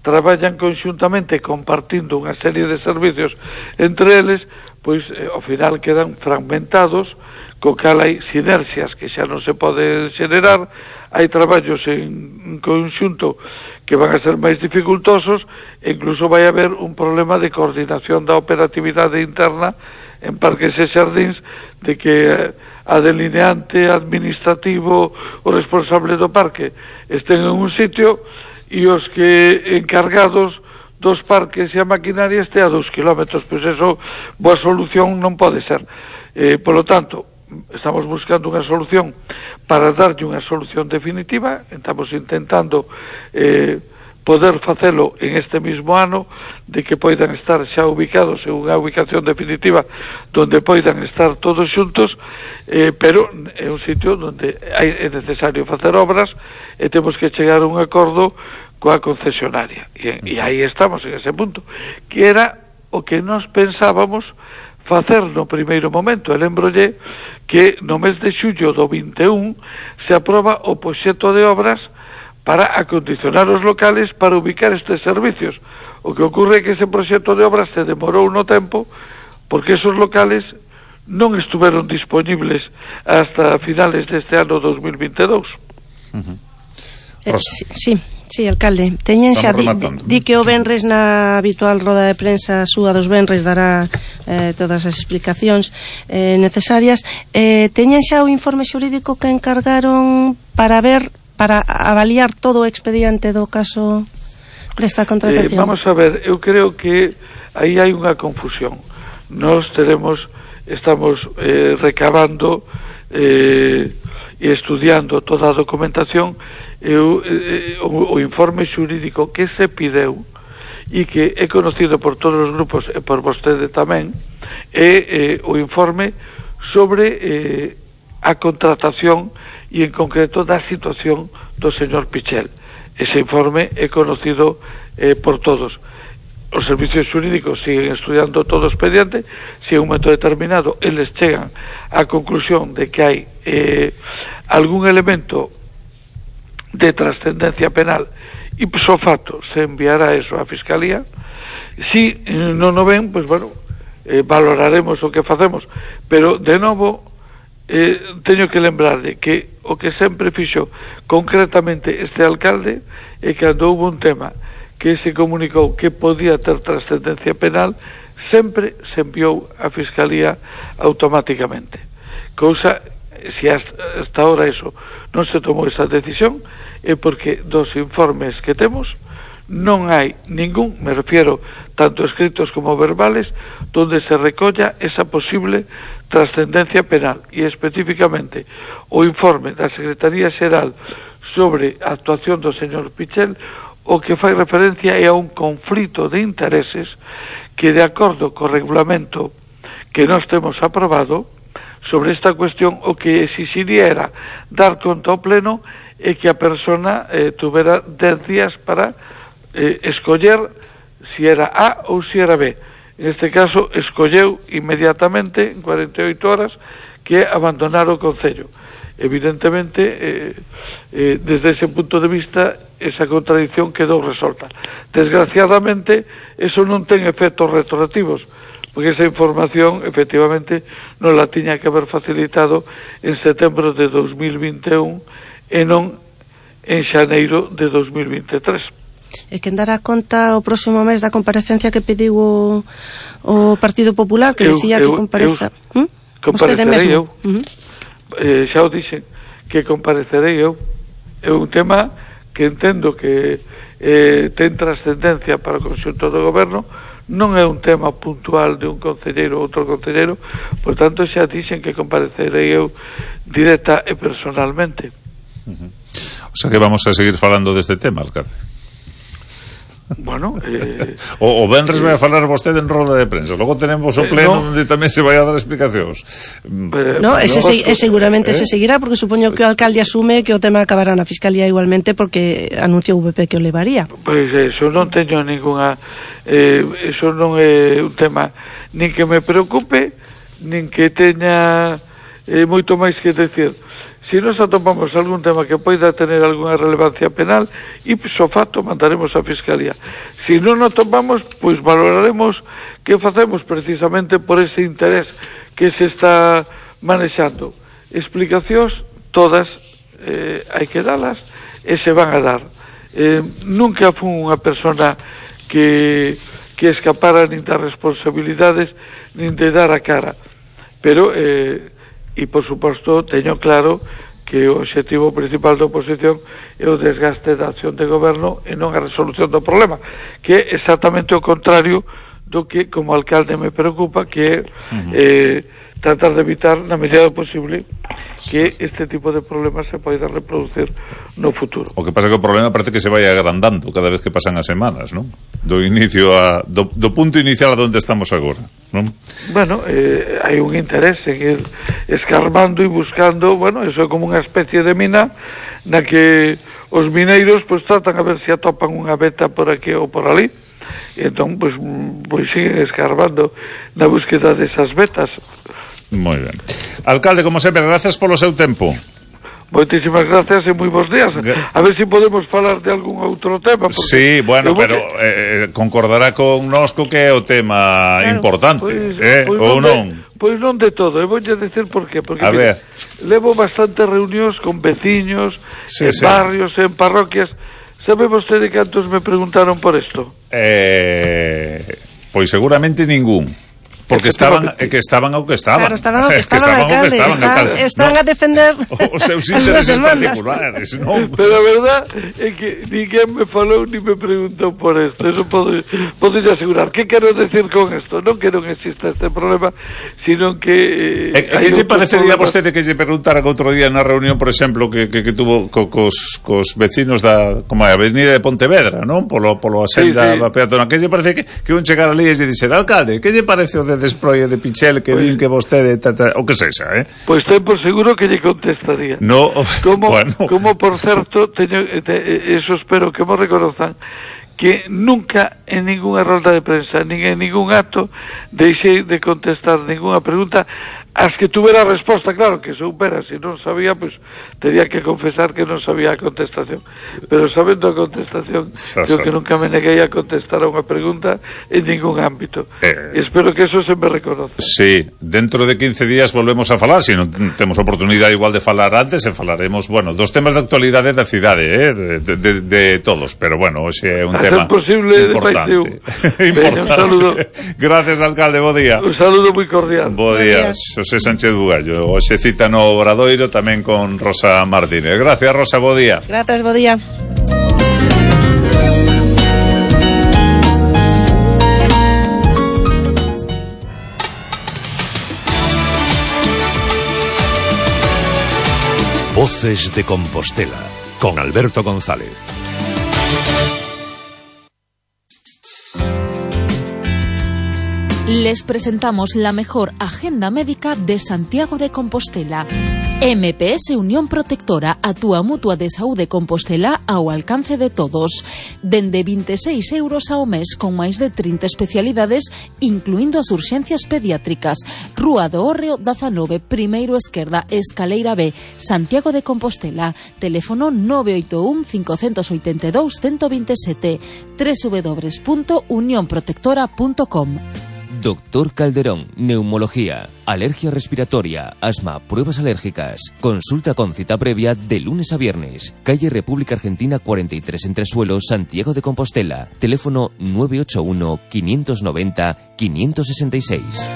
S8: traballan conxuntamente compartindo unha serie de servicios entre eles, pois ao final quedan fragmentados, co cal hai sinerxias que xa non se pode xenerar, hai traballos en conxunto que van a ser máis dificultosos, e incluso vai haber un problema de coordinación da operatividade interna en parques e xardíns, de que a delineante administrativo, o responsable do parque estén en un sitio e os que encargados dos parques e a maquinaria este a 2 kilómetros, pois eso, boa solución non pode ser. Por lo tanto, estamos buscando unha solución para darlle unha solución definitiva, estamos intentando poder facelo en este mismo ano, de que poidan estar xa ubicados en unha ubicación definitiva donde poidan estar todos xuntos, pero é un sitio onde é necesario facer obras e temos que chegar a un acordo coa concesionaria, e aí estamos en ese punto, que era o que nos pensábamos facer no primeiro momento. E lembrolle que no mes de xullo do 21 se aproba o proxecto de obras para acondicionar os locales para ubicar estes servicios. O que ocurre é que ese proxecto de obras se demorou no tempo, porque esos locales non estuveron disponibles hasta finales deste ano 2022.
S9: Sí, alcalde, teñen xa di que o venres na habitual roda de prensa súa dos venres dará todas as explicacións necesarias. Teñen xa o informe xurídico que encargaron para avaliar todo o expediente do caso desta contratación?
S8: Vamos a ver, eu creo que aí hai unha confusión. Nós estamos recabando e estudiando toda a documentación. O informe xurídico que se pideu e que é conocido por todos os grupos e por vostede tamén é o informe sobre a contratación e en concreto da situación do señor Pichel. Ese informe é conocido por todos. Os servicios xurídicos siguen estudiando todo o expediente. Se en un momento determinado eles chegan á conclusión de que hai algún elemento de trascendencia penal e so facto se enviará eso á Fiscalía. Si non o ven, pois bueno, valoraremos o que facemos, pero de novo teño que lembrarle que o que sempre fixo concretamente este alcalde é que cando houve un tema que se comunicou que podía ter trascendencia penal, sempre se enviou á Fiscalía automáticamente, cousa, se hasta ahora eso non se tomou esa decisión, é porque dos informes que temos non hai ningún, me refiero tanto escritos como verbales, donde se recolla esa posible trascendencia penal, e especificamente o informe da Secretaría Xeral sobre a actuación do señor Pichel o que fai referencia é a un conflito de intereses que, de acordo co regulamento que nós temos aprobado sobre esta cuestión, o que exixiría era dar conta ao pleno e que a persona tuvera 10 días para escoller si era A ou si era B. En este caso, escolleu inmediatamente, en 48 horas, que abandonar o Concello. Evidentemente, desde ese punto de vista, esa contradicción quedou resolta. Desgraciadamente, eso non ten efectos retroactivos, porque esa información, efectivamente, non la tiña que haber facilitado en setembro de 2021 e non en xaneiro de 2023.
S9: E quen dará conta o próximo mes da comparecencia que pediu o Partido Popular, que decía que compareza...
S8: Comparecerei eu. Xa o dixen, que comparecerei eu. É un tema que entendo que ten trascendencia para o conxunto do goberno, non é un tema puntual de un concelleiro ou outro concelleiro, por tanto xa dixen que comparecerei eu directa e personalmente.
S1: O sea que vamos a seguir falando deste tema, alcalde.
S8: Bueno,
S1: o venres vai a falar vostede en roda de prensa, logo tenemos o pleno onde tamén se vai a dar explicacións.
S9: Seguramente se seguirá, porque supoño que o alcalde asume que o tema acabará na Fiscalía igualmente, porque anunciou o VP que o levaría.
S8: Pois eso non teño ninguna eso non é un tema nin que me preocupe, nin que teña moito máis que decir. Si nos atopamos algún tema que poida tener algunha relevancia penal, ipso facto mandaremos a Fiscalía. Si non nos atopamos, pois valoraremos que facemos precisamente por ese interés que se está manexando. Explicacións todas hai que dalas e se van a dar. Nunca fui unha persona que escapara nin das responsabilidades nin de dar a cara, pero e por suposto teño claro que o obxectivo principal da oposición é o desgaste da acción de goberno e non a resolución do problema, que é exactamente o contrario do que como alcalde me preocupa, que é tratar de evitar na medida do posible que este tipo de problemas se poida reproducir no futuro.
S1: O que pasa é que o problema parece que se vai agrandando cada vez que pasan as semanas, non? Do inicio do punto inicial a onde estamos agora, non?
S8: Bueno, hai un interés en ir escarbando e buscando, bueno, eso é como unha especie de mina na que os mineiros pues tratan a ver se atopan unha veta por aquí ou por ali, e entón pues siguen escarbando na búsqueda desas vetas.
S1: Moi ben. Alcalde, como sempre, gracias polo seu tempo.
S8: Moitísimas gracias e moi bons días. A ver se podemos falar de algún outro tema.
S1: Sí, bueno, pero concordará con nosco que é o tema importante, ou non?
S8: Pois non de todo, e voulle decir por qué. Porque,
S1: mira,
S8: levo bastantes reunións con veciños, en barrios, en parroquias. Sabe vostede cantos me preguntaron por isto?
S1: Pois seguramente ningún. Porque estaban ao que estaban.
S9: Claro, estaban ao que estaban, alcalde. Están a defender
S1: os seus intereses particulares, non?
S8: Pero a verdad é que ninguén me falou ni me preguntou por isto. Eso podo asegurar. Que quero decir con isto? Non que non exista este problema, sino que
S1: que lle parecería a vostede que lle preguntaran outro día na reunión, por exemplo, que tuvo cos vecinos da como a avenida de Pontevedra, non? Polo a senda da peatona. Que lle parece que un chegar ali e lle dixer, alcalde, que lle parece o de desproie de Pichel que din que vostede o que sexa,
S8: Pois ten por seguro que lle contestaría.
S1: No,
S8: como por certo, eso espero que mo reconozcan, que nunca en ninguna rolda de prensa, nin en ningún acto deixei de contestar ninguna pregunta as que tuvera resposta, claro, que soupera, se non sabía, pues tenía que confesar que non sabía a contestación, pero sabendo a contestación, creo que nunca me neguei a contestar a unha pregunta en ningún ámbito, e espero que eso se me reconoce.
S1: Sí, dentro de 15 días volvemos a falar, se non temos oportunidade igual de falar antes, e falaremos, bueno, dos temas de actualidade da cidade, de todos, pero bueno, ese é un tema importante.
S8: Un saludo.
S1: Gracias, alcalde, bo día.
S8: Un saludo moi cordial.
S1: Bo día. Xosé Sánchez Bugallo, hoxe cita no Obradoiro tamén con Rosa Martínez. Gracias, Rosa, bo día.
S9: Gracias, bo día.
S3: Voces de Compostela con Alberto González.
S7: Les presentamos la mejor agenda médica de Santiago de Compostela. MPS Unión Protectora, a túa mutua de saúde Compostela ao alcance de todos. Dende 26 euros ao mes con máis de 30 especialidades, incluindo as urxencias pediátricas. Rúa do Hórreo 19, primeiro esquerda, escaleira B, Santiago de Compostela. Teléfono 981 582 127, www.unionprotectora.com.
S6: Doctor Calderón, neumología, alergia respiratoria, asma, pruebas alérgicas. Consulta con cita previa de lunes a viernes. Calle República Argentina 43 Entresuelos, Santiago de Compostela. Teléfono 981 590 566.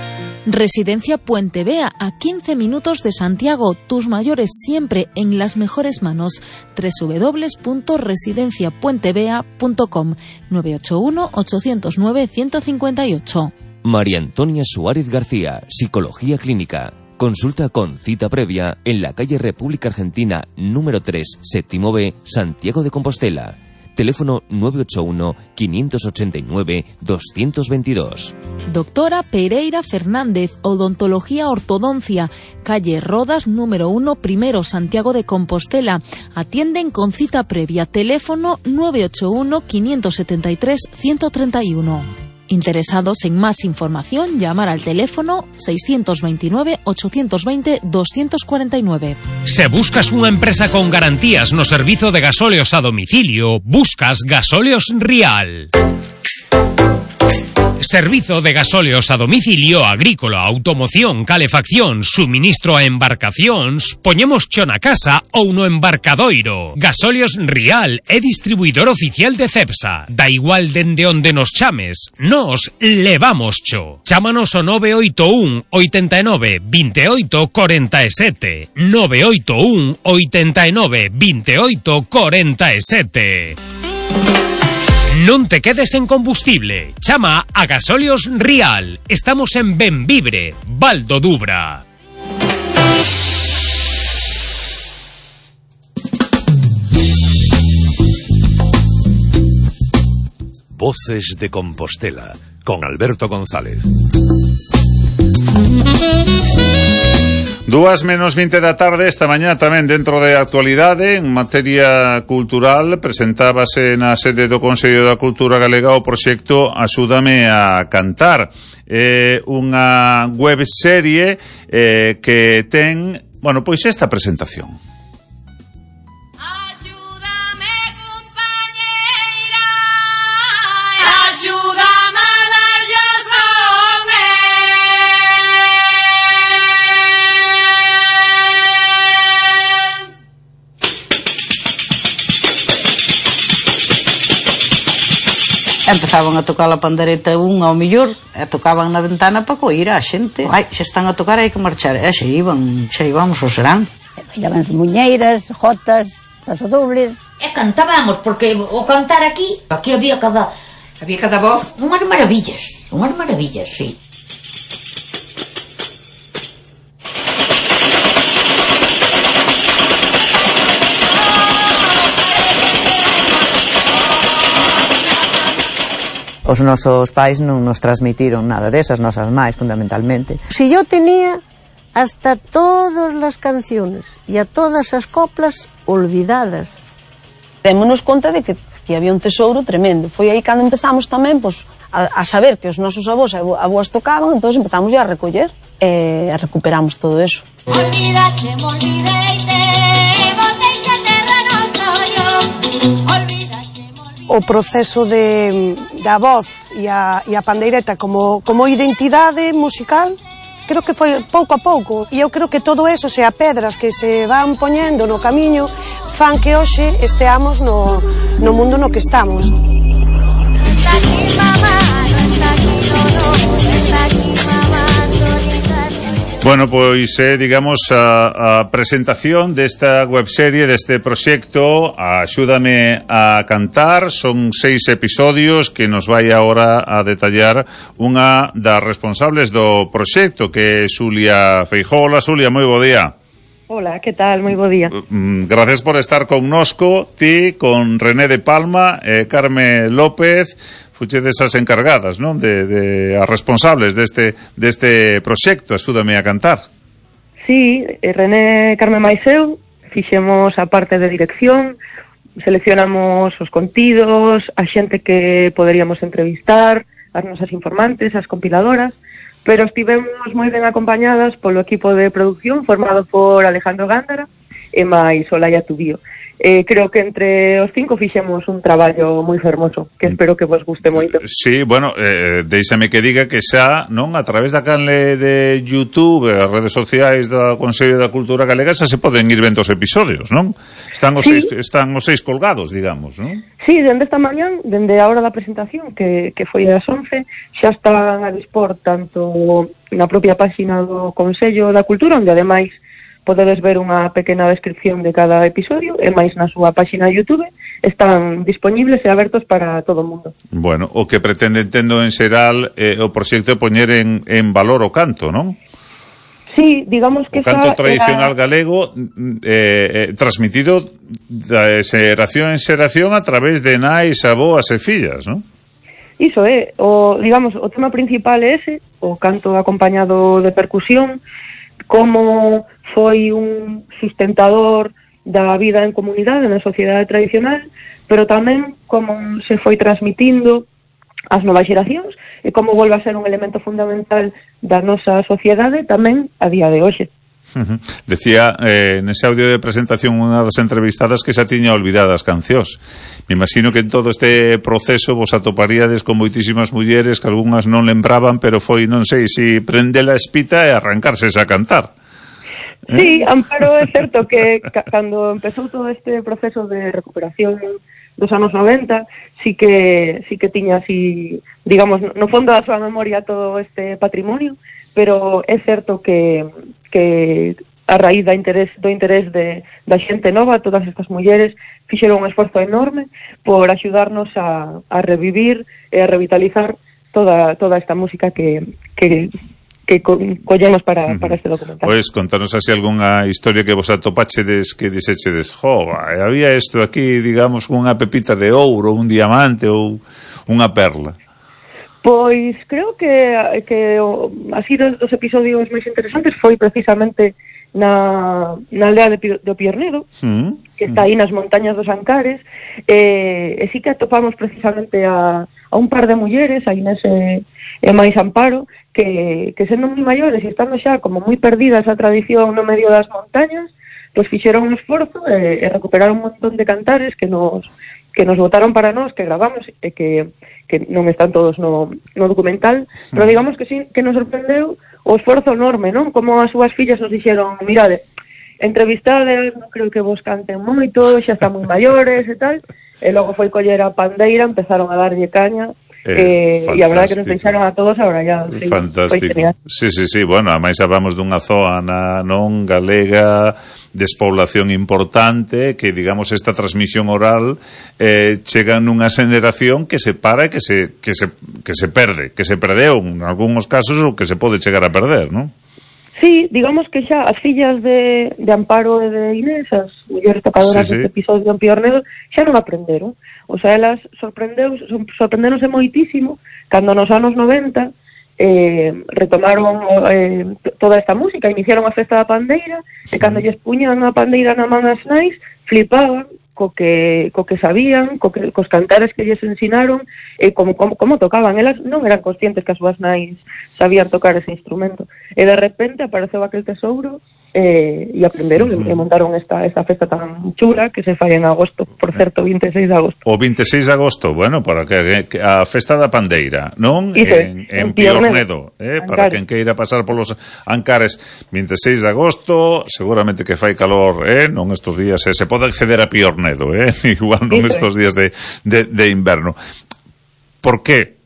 S7: Residencia Puente Vea, a 15 minutos de Santiago. Tus mayores siempre en las mejores manos. www.residenciapuentevea.com 981 809 158.
S6: María Antonia Suárez García, Psicología Clínica. Consulta con cita previa en la calle República Argentina número 3, séptimo B, Santiago de Compostela. Teléfono 981-589-222.
S7: Doctora Pereira Fernández, Odontología Ortodoncia, calle Rodas número 1, primero, Santiago de Compostela. Atienden con cita previa. Teléfono 981-573-131. Interesados en más información, llamar al teléfono 629-820-249.
S4: Se buscas unha empresa con garantías no servizo de gasóleos a domicilio, buscas Gasóleos Rial. Servizo de gasóleos a domicilio, agrícola, automoción, calefacción, suministro a embarcacións, poñemos cho na casa ou no embarcadoiro. Gasóleos Rial é distribuidor oficial de Cepsa. Da igual dende onde nos chames, nos levamos cho. Chámanos ao 981 89 28 47. 981 89 28 47. Non te quedes en combustible. Chama a Gasóleos Rial. Estamos en Benvibre, Val do Dubra.
S3: Voces de Compostela, con Alberto González.
S1: 2:20 da tarde, esta mañá tamén dentro de actualidade, en materia cultural, presentábase na sede do Consello da Cultura Galega o proxecto Axúdame a Cantar. Unha webserie que ten, bueno, pois esta presentación.
S10: Empezaban a tocar a pandereta un ao millor e tocaban na ventana para coir a xente. Ai, xa están a tocar, hai que marchar. E xa íbamos ao serán.
S11: Bailaban muñeiras, jotas, pasodobles.
S12: E cantábamos, porque o cantar aquí había cada
S10: voz.
S12: Unhas maravillas, sí.
S13: Os nosos pais non nos transmitiron nada desas, nosas máis, fundamentalmente.
S14: Si yo tenía hasta todas las canciones e a todas as coplas olvidadas.
S15: Démonos conta de que había un tesouro tremendo. Foi aí cando empezamos tamén a saber que os nosos avós e avós tocaban, entón empezamos a recoller e recuperamos todo eso.
S16: Olvidache, me olvideite, boteixa terra no soyo,
S14: o proceso da voz e a pandeireta como identidade musical, creo que foi pouco a pouco, e eu creo que todo eso, sea pedras que se van poñendo no camiño, fan que hoxe esteamos no mundo no que estamos.
S1: Bueno, pois digamos a presentación desta webserie, deste proxecto Axúdame a Cantar. Son 6 episodios que nos vai agora a detallar unha das responsables do proxecto, que é Xulia Feijóo. Hola, Xulia, moi bo día.
S2: Hola, que tal? Moi bo día.
S1: Gracias por estar connosco, ti, con René de Palma e Carme López. Fuchedes as encargadas, non? De as responsables deste proxecto, Axúdame a Cantar.
S2: Sí, René, Carme máis eu, fixemos a parte de dirección, seleccionamos os contidos, a xente que poderíamos entrevistar, as nosas informantes, as compiladoras, pero estivemos moi ben acompañadas polo equipo de producción formado por Alejandro Gándara e máis Olaya Tubío. Creo que entre os 5 fixemos un traballo moi fermoso, que espero que vos guste moito.
S1: Sí, bueno, deixame que diga que xa, non, a través da canle de YouTube, as redes sociais do Consello da Cultura Galega, xa se poden ir vendo os episodios, non? Están os 6 colgados, digamos, non?
S2: Sí, dende esta mañán, dende a hora da presentación, que foi ás 11, xa están a dispor tanto na propia páxina do Consello da Cultura, onde ademais podedes ver unha pequena descripción de cada episodio, e máis na súa páxina de YouTube están disponibles e abertos para todo o mundo.
S1: Bueno, o que pretende, entendo en xeral, o proxecto poñer en valor o canto, non?
S2: Sí, digamos que
S1: o canto tradicional galego transmitido de xeración en xeración a través de nais, aboas e fillas, non?
S2: Iso é, digamos, o tema principal é ese, o canto acompañado de percusión, como foi un sustentador da vida en comunidade, na sociedade tradicional, pero tamén como se foi transmitindo ás novas xeracións e como volve a ser un elemento fundamental da nosa sociedade tamén a día de hoxe.
S1: Decía nese audio de presentación unha das entrevistadas que xa tiña olvidadas cancións. Me imagino que en todo este proceso vos atoparíades con moitísimas mulleres que algunhas non lembraban, pero foi, non sei, si prende la espita e arrancarse a cantar.
S2: Sí, Amparo, é certo que cando empezou todo este proceso de recuperación dos anos 90, sí que tiña así, digamos, no fondo da súa memoria todo este patrimonio, pero é certo que a raíz do interés da xente nova, todas estas mulleres fixeron un esforzo enorme por axudarnos a revivir e a revitalizar toda esta música que collemos para este documental.
S1: Pois contanos así algunha historia que vos atopachedes que dixechedes, había isto aquí, digamos, unha pepita de ouro, un diamante ou unha perla.
S2: Pois creo que así dos episodios máis interesantes foi precisamente na aldea de Piornedo, que está aí nas montañas dos Ancares, e sí que atopamos precisamente a un par de mulleres aí nese máis Amparo, que sendo moi maiores e estando xa como moi perdida esa tradición no medio das montañas, pois fixeron un esforzo e recuperaron un montón de cantares que nos botaron para nós, que gravamos e que non están todos no documental, pero digamos que sí, que nos sorprendeu o esforzo enorme, non? Como as súas fillas nos dixeron, mirade, entrevistades, non creo que vos canten moito, xa están moi maiores e tal, e logo foi coller a pandeira, empezaron a darlle caña, e a verdade que nos deixaron a todos ahora ya.
S1: Fantástico. Sí, bueno, ademais hablamos dunha zona non galega, despoblación importante, que digamos esta transmisión oral chega nunha xeneración que se para e que se perde, que se perdeu en algúns casos ou que se pode chegar a perder, non?
S2: Sí, digamos que xa as fillas de Amparo e de Inés, as mulleres tocadoras deste episodio en Piornedo, xa non aprenderon. O sea, elas sorprendéronse moitísimo cando nos anos 90 retomaron toda esta música, iniciaron a festa da pandeira, e cando lles puñan a pandeira na man as nais, flipaban co que sabían, cos cantares que lles ensinaron, e como tocaban. Elas non eran conscientes que as súas nais sabían tocar ese instrumento. E de repente apareceu aquel tesouro e aprenderon e montaron esta festa tan chula que se fai en agosto, por certo, 26 de agosto.
S1: O 26 de agosto, bueno, para que a festa da pandeira, non? En Piornedo, para quen queira pasar polos Ancares, 26 de agosto, seguramente que fai calor, non estos días, se pode acceder a Piornedo, igual non estos días de inverno. Por qué?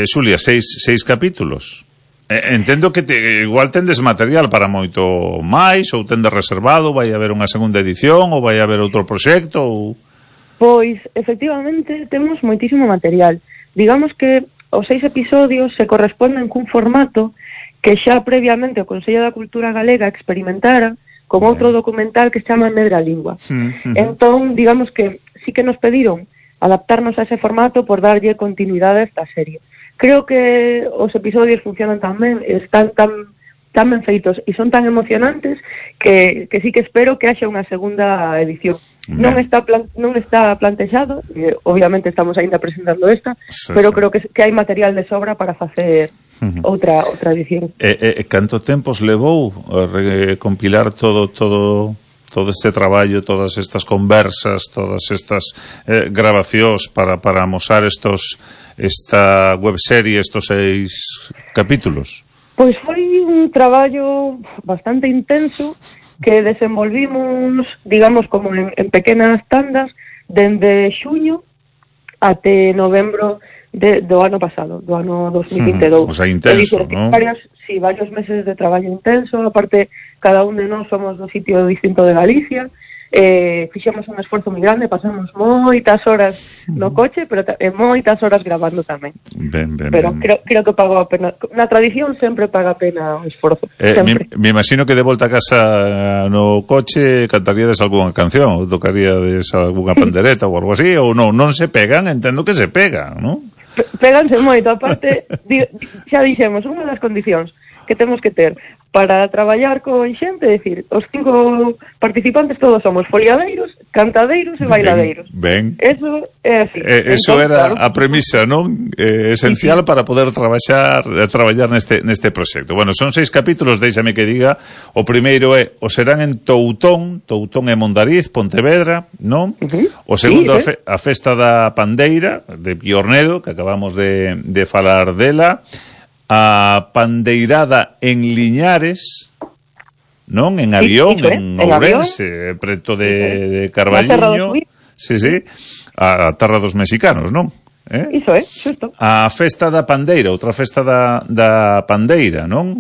S1: Xulia, seis capítulos? Entendo que igual tendes material para moito máis, ou tendes reservado, vai haber unha segunda edición, ou vai haber outro proxecto, ou...
S2: Pois, efectivamente, temos moitísimo material. Digamos que os 6 episodios se corresponden cun formato que xa previamente o Consello da Cultura Galega experimentara con outro documental que se chama Medra Lingua. Entón, digamos que sí que nos pediron adaptarnos a ese formato por darlle continuidade a esta serie. Creo que os episodios funcionan tan ben, están tan ben feitos e son tan emocionantes que sí que espero que haxa unha segunda edición. Non está plantexado, obviamente estamos aínda presentando esta, pero creo que hai material de sobra para facer outra edición.
S1: Canto tempos levou a recompilar todo este traballo, todas estas conversas, todas estas grabacións para amosar esta webserie, estos 6 capítulos?
S2: Pois foi un traballo bastante intenso que desenvolvimos, digamos, como en pequenas tandas dende xuño até novembro do ano pasado, do ano 2022.
S1: O sea, intenso, non?
S2: Varios meses de traballo intenso, aparte cada un de nós somos do sitio distinto de Galicia, fixemos un esforzo moi grande, pasamos moitas horas no coche, pero moitas horas grabando tamén. Pero creo que pagou a pena. Na tradición sempre paga a pena o esforzo.
S1: Me imagino que de volta a casa no coche cantaríades algunha canción, ou tocaríades algunha pandereta ou algo así, ou non se pegan, entendo que se pegan, non?
S2: Péganse moito, aparte, xa dixemos, unha das condicións que temos que ter para traballar con xente, é dicir, os 5 participantes todos somos foliadeiros, cantadeiros e bailadeiros.
S1: Ben.
S2: Eso é así.
S1: Eso era a premisa, non? Esencial para poder traballar neste proxecto. Bueno, son 6 capítulos, déixame que diga. O primeiro é o serán en Toutón e Mondariz, Pontevedra, non? O segundo a Festa da Pandeira de Piornedo, que acabamos de falar dela. A pandeirada en Liñares, non? En Avión, en Ourense, preto de Carballiño. Sí, a terra dos mexicanos, non?
S2: Iso é, xusto.
S1: A Festa da Pandeira, outra festa da Pandeira, non?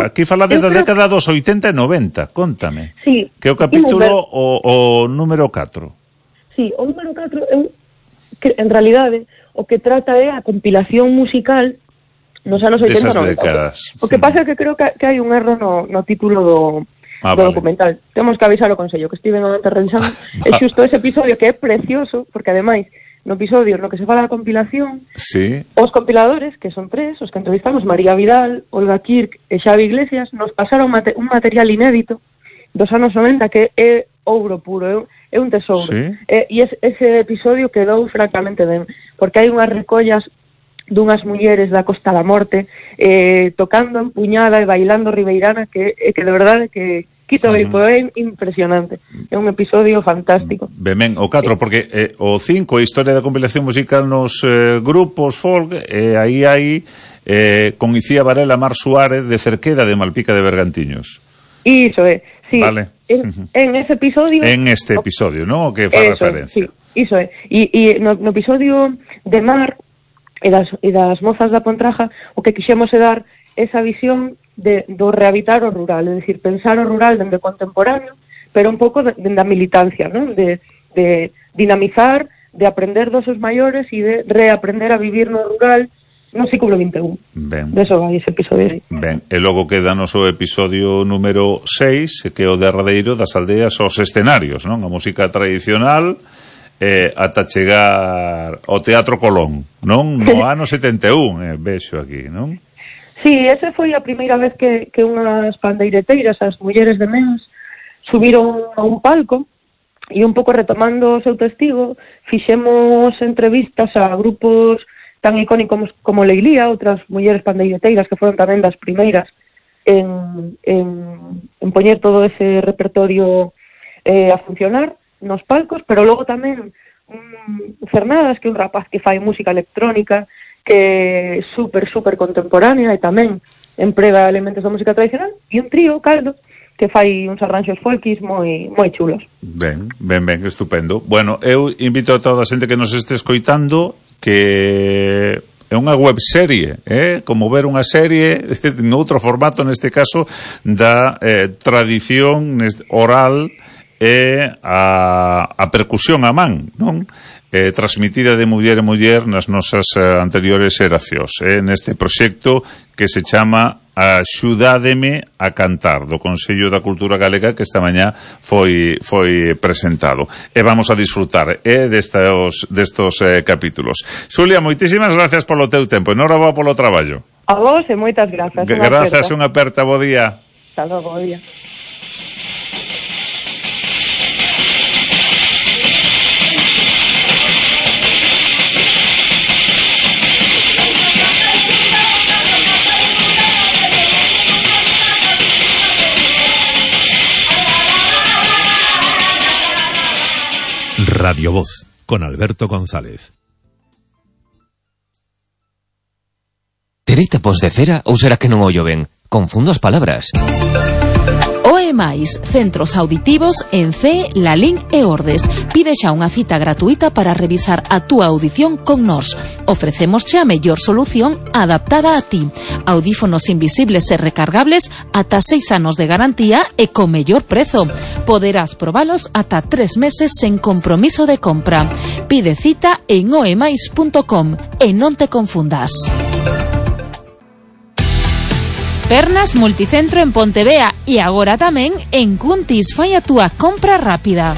S1: Aquí falades da década dos 80 e 90, contame.
S2: Sí.
S1: Que o capítulo o número 4.
S2: Sí, o número 4 que en realidade o que trata é a compilación musical nos anos 80 e 90. O que pasa é que creo que hai un erro no título do documental. Temos que avisar ao Consello que estiven antes revisando. É xusto ese episodio que é precioso, porque ademais no episodio no que se fala da compilación, os compiladores, que son 3, os que entrevistamos, María Vidal, Olga Kirk e Xavi Iglesias, nos pasaron un material inédito dos anos 90 que é ouro puro, é un tesouro. E ese episodio quedou francamente ben, porque hai unhas recollas dunhas mulleres da Costa da Morte tocando empuñada e bailando ribeirana que de verdade que quito é impresionante. É un episodio fantástico.
S1: Ben, o 4, porque o 5 a historia da compilación musical nos grupos folk, aí hai con Icía Varela, Mar Suárez de Cerqueda de Malpica de Bergantiños.
S2: Iso é, sí.
S1: Vale.
S2: En ese episodio...
S1: En este episodio, non? O que fa referencia.
S2: Sí, iso é. E no episodio de Mar e das mozas da Pontraja, o que quixemos é dar esa visión do rehabitar o rural, é dicir, pensar o rural dende contemporáneo, pero un pouco dende a militancia, non? De dinamizar, de aprender dos seus maiores e de reaprender a vivir no rural no século XXI.
S1: Ben.
S2: Deso vai ese episodio.
S1: Ben, e logo queda noso episodio número 6, que é o derradeiro das aldeas aos escenarios, non? A música tradicional ata chegar ao Teatro Colón, non? No ano 71, vexo aquí, non?
S2: Sí, esa foi a primeira vez que unhas pandeireteiras, as mulleres de Mens, subiron a un palco e un pouco retomando o seu testigo, fixemos entrevistas a grupos tan icónicos como Leilía, outras mulleres pandeireteiras que foron tamén das primeiras en poñer todo ese repertorio a funcionar nos palcos, pero logo tamén Cernadas, que é un rapaz que fai música electrónica, que é super contemporánea e tamén emprega elementos da música tradicional, e un trío, Caldo, que fai uns arranxos folkis moi chulos.
S1: Ben, estupendo. Bueno, eu invito a toda a xente que nos este escoitando que é unha webserie, como ver unha serie en outro formato, neste caso, da tradición oral e a percusión a man, non? Transmitida de muller en muller nas nosas anteriores xeracións, neste proxecto que se chama Axudádeme a Cantar, do Consello da Cultura Galega, que esta mañá foi presentado. E vamos a disfrutar destos capítulos. Xulia, moitísimas gracias polo teu tempo, enhoraboa polo traballo.
S2: A vos e moitas grazas.
S1: Grazas, unha aperta, bo día.
S2: Hasta logo, bo día.
S3: Radio Voz, con Alberto González.
S6: Terei tapos de cera ou será que non ollo ben? Confundo as palabras.
S7: OEMAIS, centros auditivos en CE, Lalín e Ordes. Pide xa unha cita gratuita para revisar a túa audición con nós. Ofrecémosche a mellor solución adaptada a ti. Audífonos invisibles e recargables ata 6 anos de garantía e co mellor prezo. Poderás probalos ata 3 meses sen compromiso de compra. Pide cita en oemais.com e non te confundas. Pernas Multicentro en Pontevea e agora tamén en Cuntis. Fai a túa compra rápida.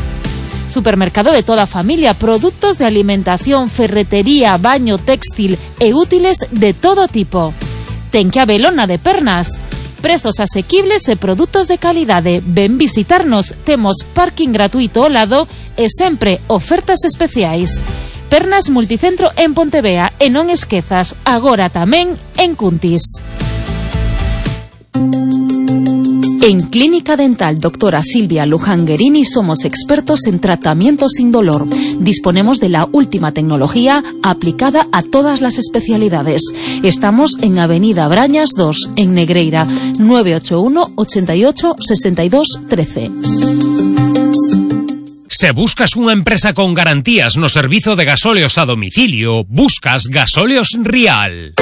S7: Supermercado de toda a familia, produtos de alimentación, ferretería, baño, textil e útiles de todo tipo. Ten que habelona de Pernas. Prezos asequibles e produtos de calidade. Ven visitarnos, temos parking gratuito ao lado e sempre ofertas especiais. Pernas Multicentro en Pontevea e non esquezas, agora tamén en Cuntis. En Clínica Dental Doctora Silvia Luján-Guerini somos expertos en tratamiento sin dolor. Disponemos de la última tecnología aplicada a todas las especialidades. Estamos en Avenida Brañas 2, en Negreira, 981 88 62 13.
S4: Se buscas unha empresa con garantías no servizo de gasóleos a domicilio, buscas Gasóleos Rial.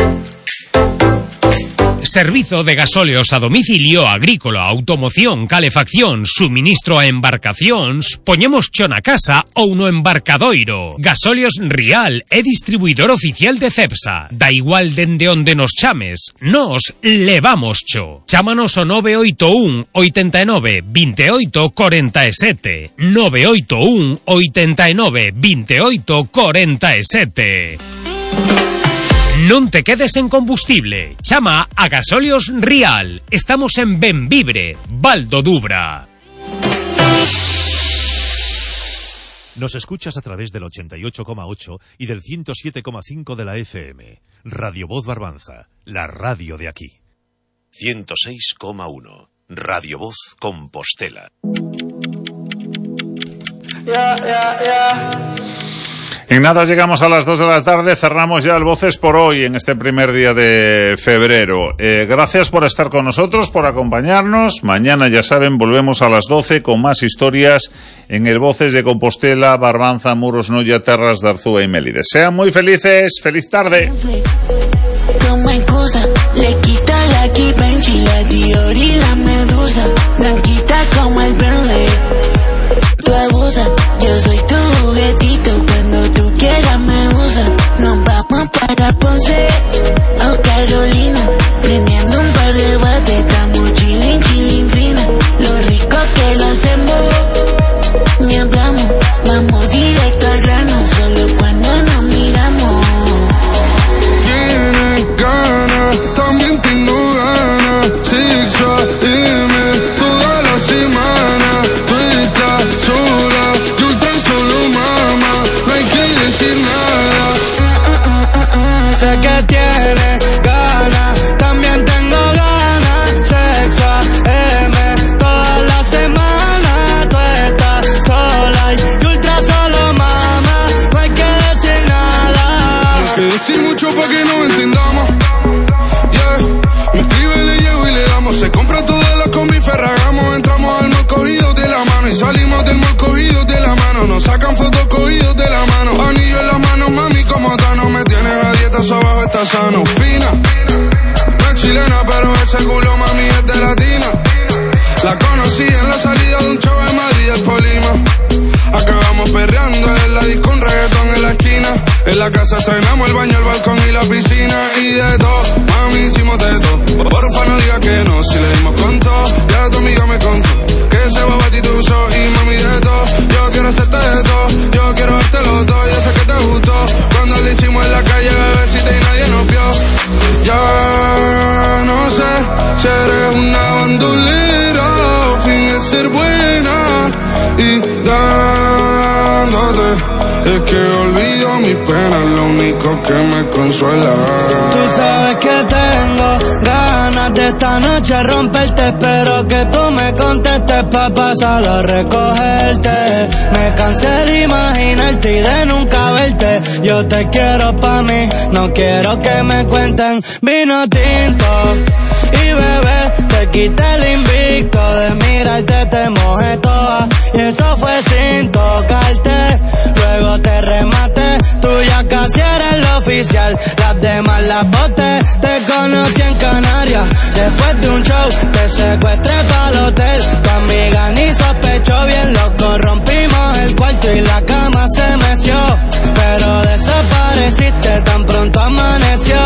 S4: Servizo de gasóleos a domicilio, agrícola, automoción, calefacción, suministro a embarcacións, poñemos cho na casa ou no embarcadoiro. Gasóleos Rial é distribuidor oficial de Cepsa. Da igual dende onde nos chames, nos levamos cho. Chámanos ao 981 89 28 47. 981 89 28 47. Non te quedes en combustible. Chama a Gasóleos Rial. Estamos en Benvibre, Val do Dubra.
S3: Nos escuchas a través del 88,8 y del 107,5 de la FM. Radio Voz Barbanza, la radio de aquí. 106,1. Radio Voz Compostela.
S1: En nada llegamos a las 2 de la tarde, cerramos ya el Voces por hoy en este primer día de febrero. Gracias por estar con nosotros, por acompañarnos. Mañana, ya saben, volvemos a las 12 con más historias en el Voces de Compostela, Barbanza, Muros, Noia, Terras de Arzúa y Mélide. Sean muy felices, feliz tarde.
S17: Toma excusa, le quita la kipa, enchila, Dior y la medusa, blanquita como el Bentley. Tú abusas, yo soy tu juguetito, cuando tú quieras me usas. Nos vamos para Ponce o Carolina, prendiendo un par de bates, estamos chilling fina. Lo rico que lo hacemos, ni hablamos, vamos directo al grano, solo cuando nos miramos.
S18: Tienes ganas, también tengo ganas, sexual, dime toda la semana. Tú estás sola, yo tan solo mamá, no hay que decir nada.
S17: Sé que tienes ganas, también tengo ganas, sexual, toda la semana. Tú estás sola y ultra solo mamá, no hay que decir nada.
S18: No hay que decir mucho pa' que nos entendamos. Me escribe, le llevo y le damos. Se compra todas las combi, ferragamos. Entramos al mall cogidos de la mano y salimos del mall cogidos de la mano. Nos sacan fotos cogidos de la mano. Anillo en las manos, mami, como Tano. Me tienes a dieta, eso abajo está sano. Fina, no es chilena, pero ese culo, mami, es de latina. La conocí en la salida de un show en Madrid, el Polima. Acabamos perreando en la disco, un reggaetón en la esquina. En la casa estrenamos el baño, el balcón y la piscina. Y de todo, mami, hicimos de todo. Porfa, no digas que no, si le dimos con todo. Ya tu amiga me contó que ese bobatito usó. Y mami, de todo, yo quiero hacerte de todo. Yo quiero dártelo todo, yo sé que te gustó. Cuando lo hicimos en la calle, bebecita, y nadie nos vio. Ya no sé si eres una bandolera o finges ser buena. Y dándote es que olvido mis penas, lo único que me consuela.
S17: Tú sabes que tengo ganas de esta noche romperte. Espero que tú me contestes pa' pasarlo a recogerte. Me cansé de imaginarte y de nunca verte. Yo te quiero pa' mí, no quiero que me cuenten vino tinto. Y bebé, te quité el invicto de mirarte, te mojé toda. Y eso fue sin tocarte.
S19: luego te remate. Tú ya casi eres la oficial, las demás las boté. Te conocí en Canarias, después de un show te secuestré pa'l hotel. Tu amiga ni sospechó, bien loco, rompimos el cuarto y la cama se meció. Pero desapareciste tan pronto amaneció.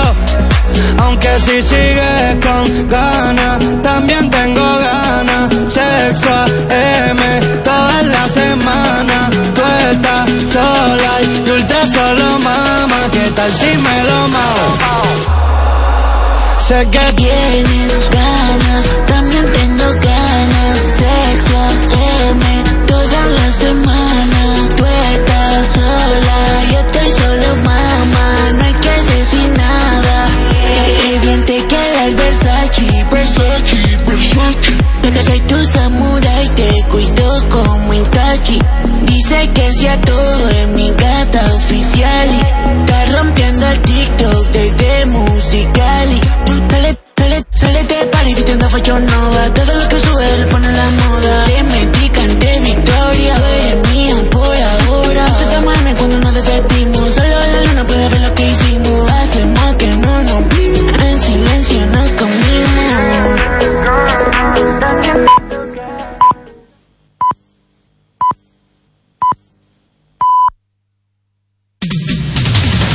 S19: Aunque si sigues con ganas, también tengo ganas. Sexo AM toda la semana. Tú estás sola y ultra solo, mamá. ¿Qué tal si me lo mao? Sé que
S17: tienes ganas, también tengo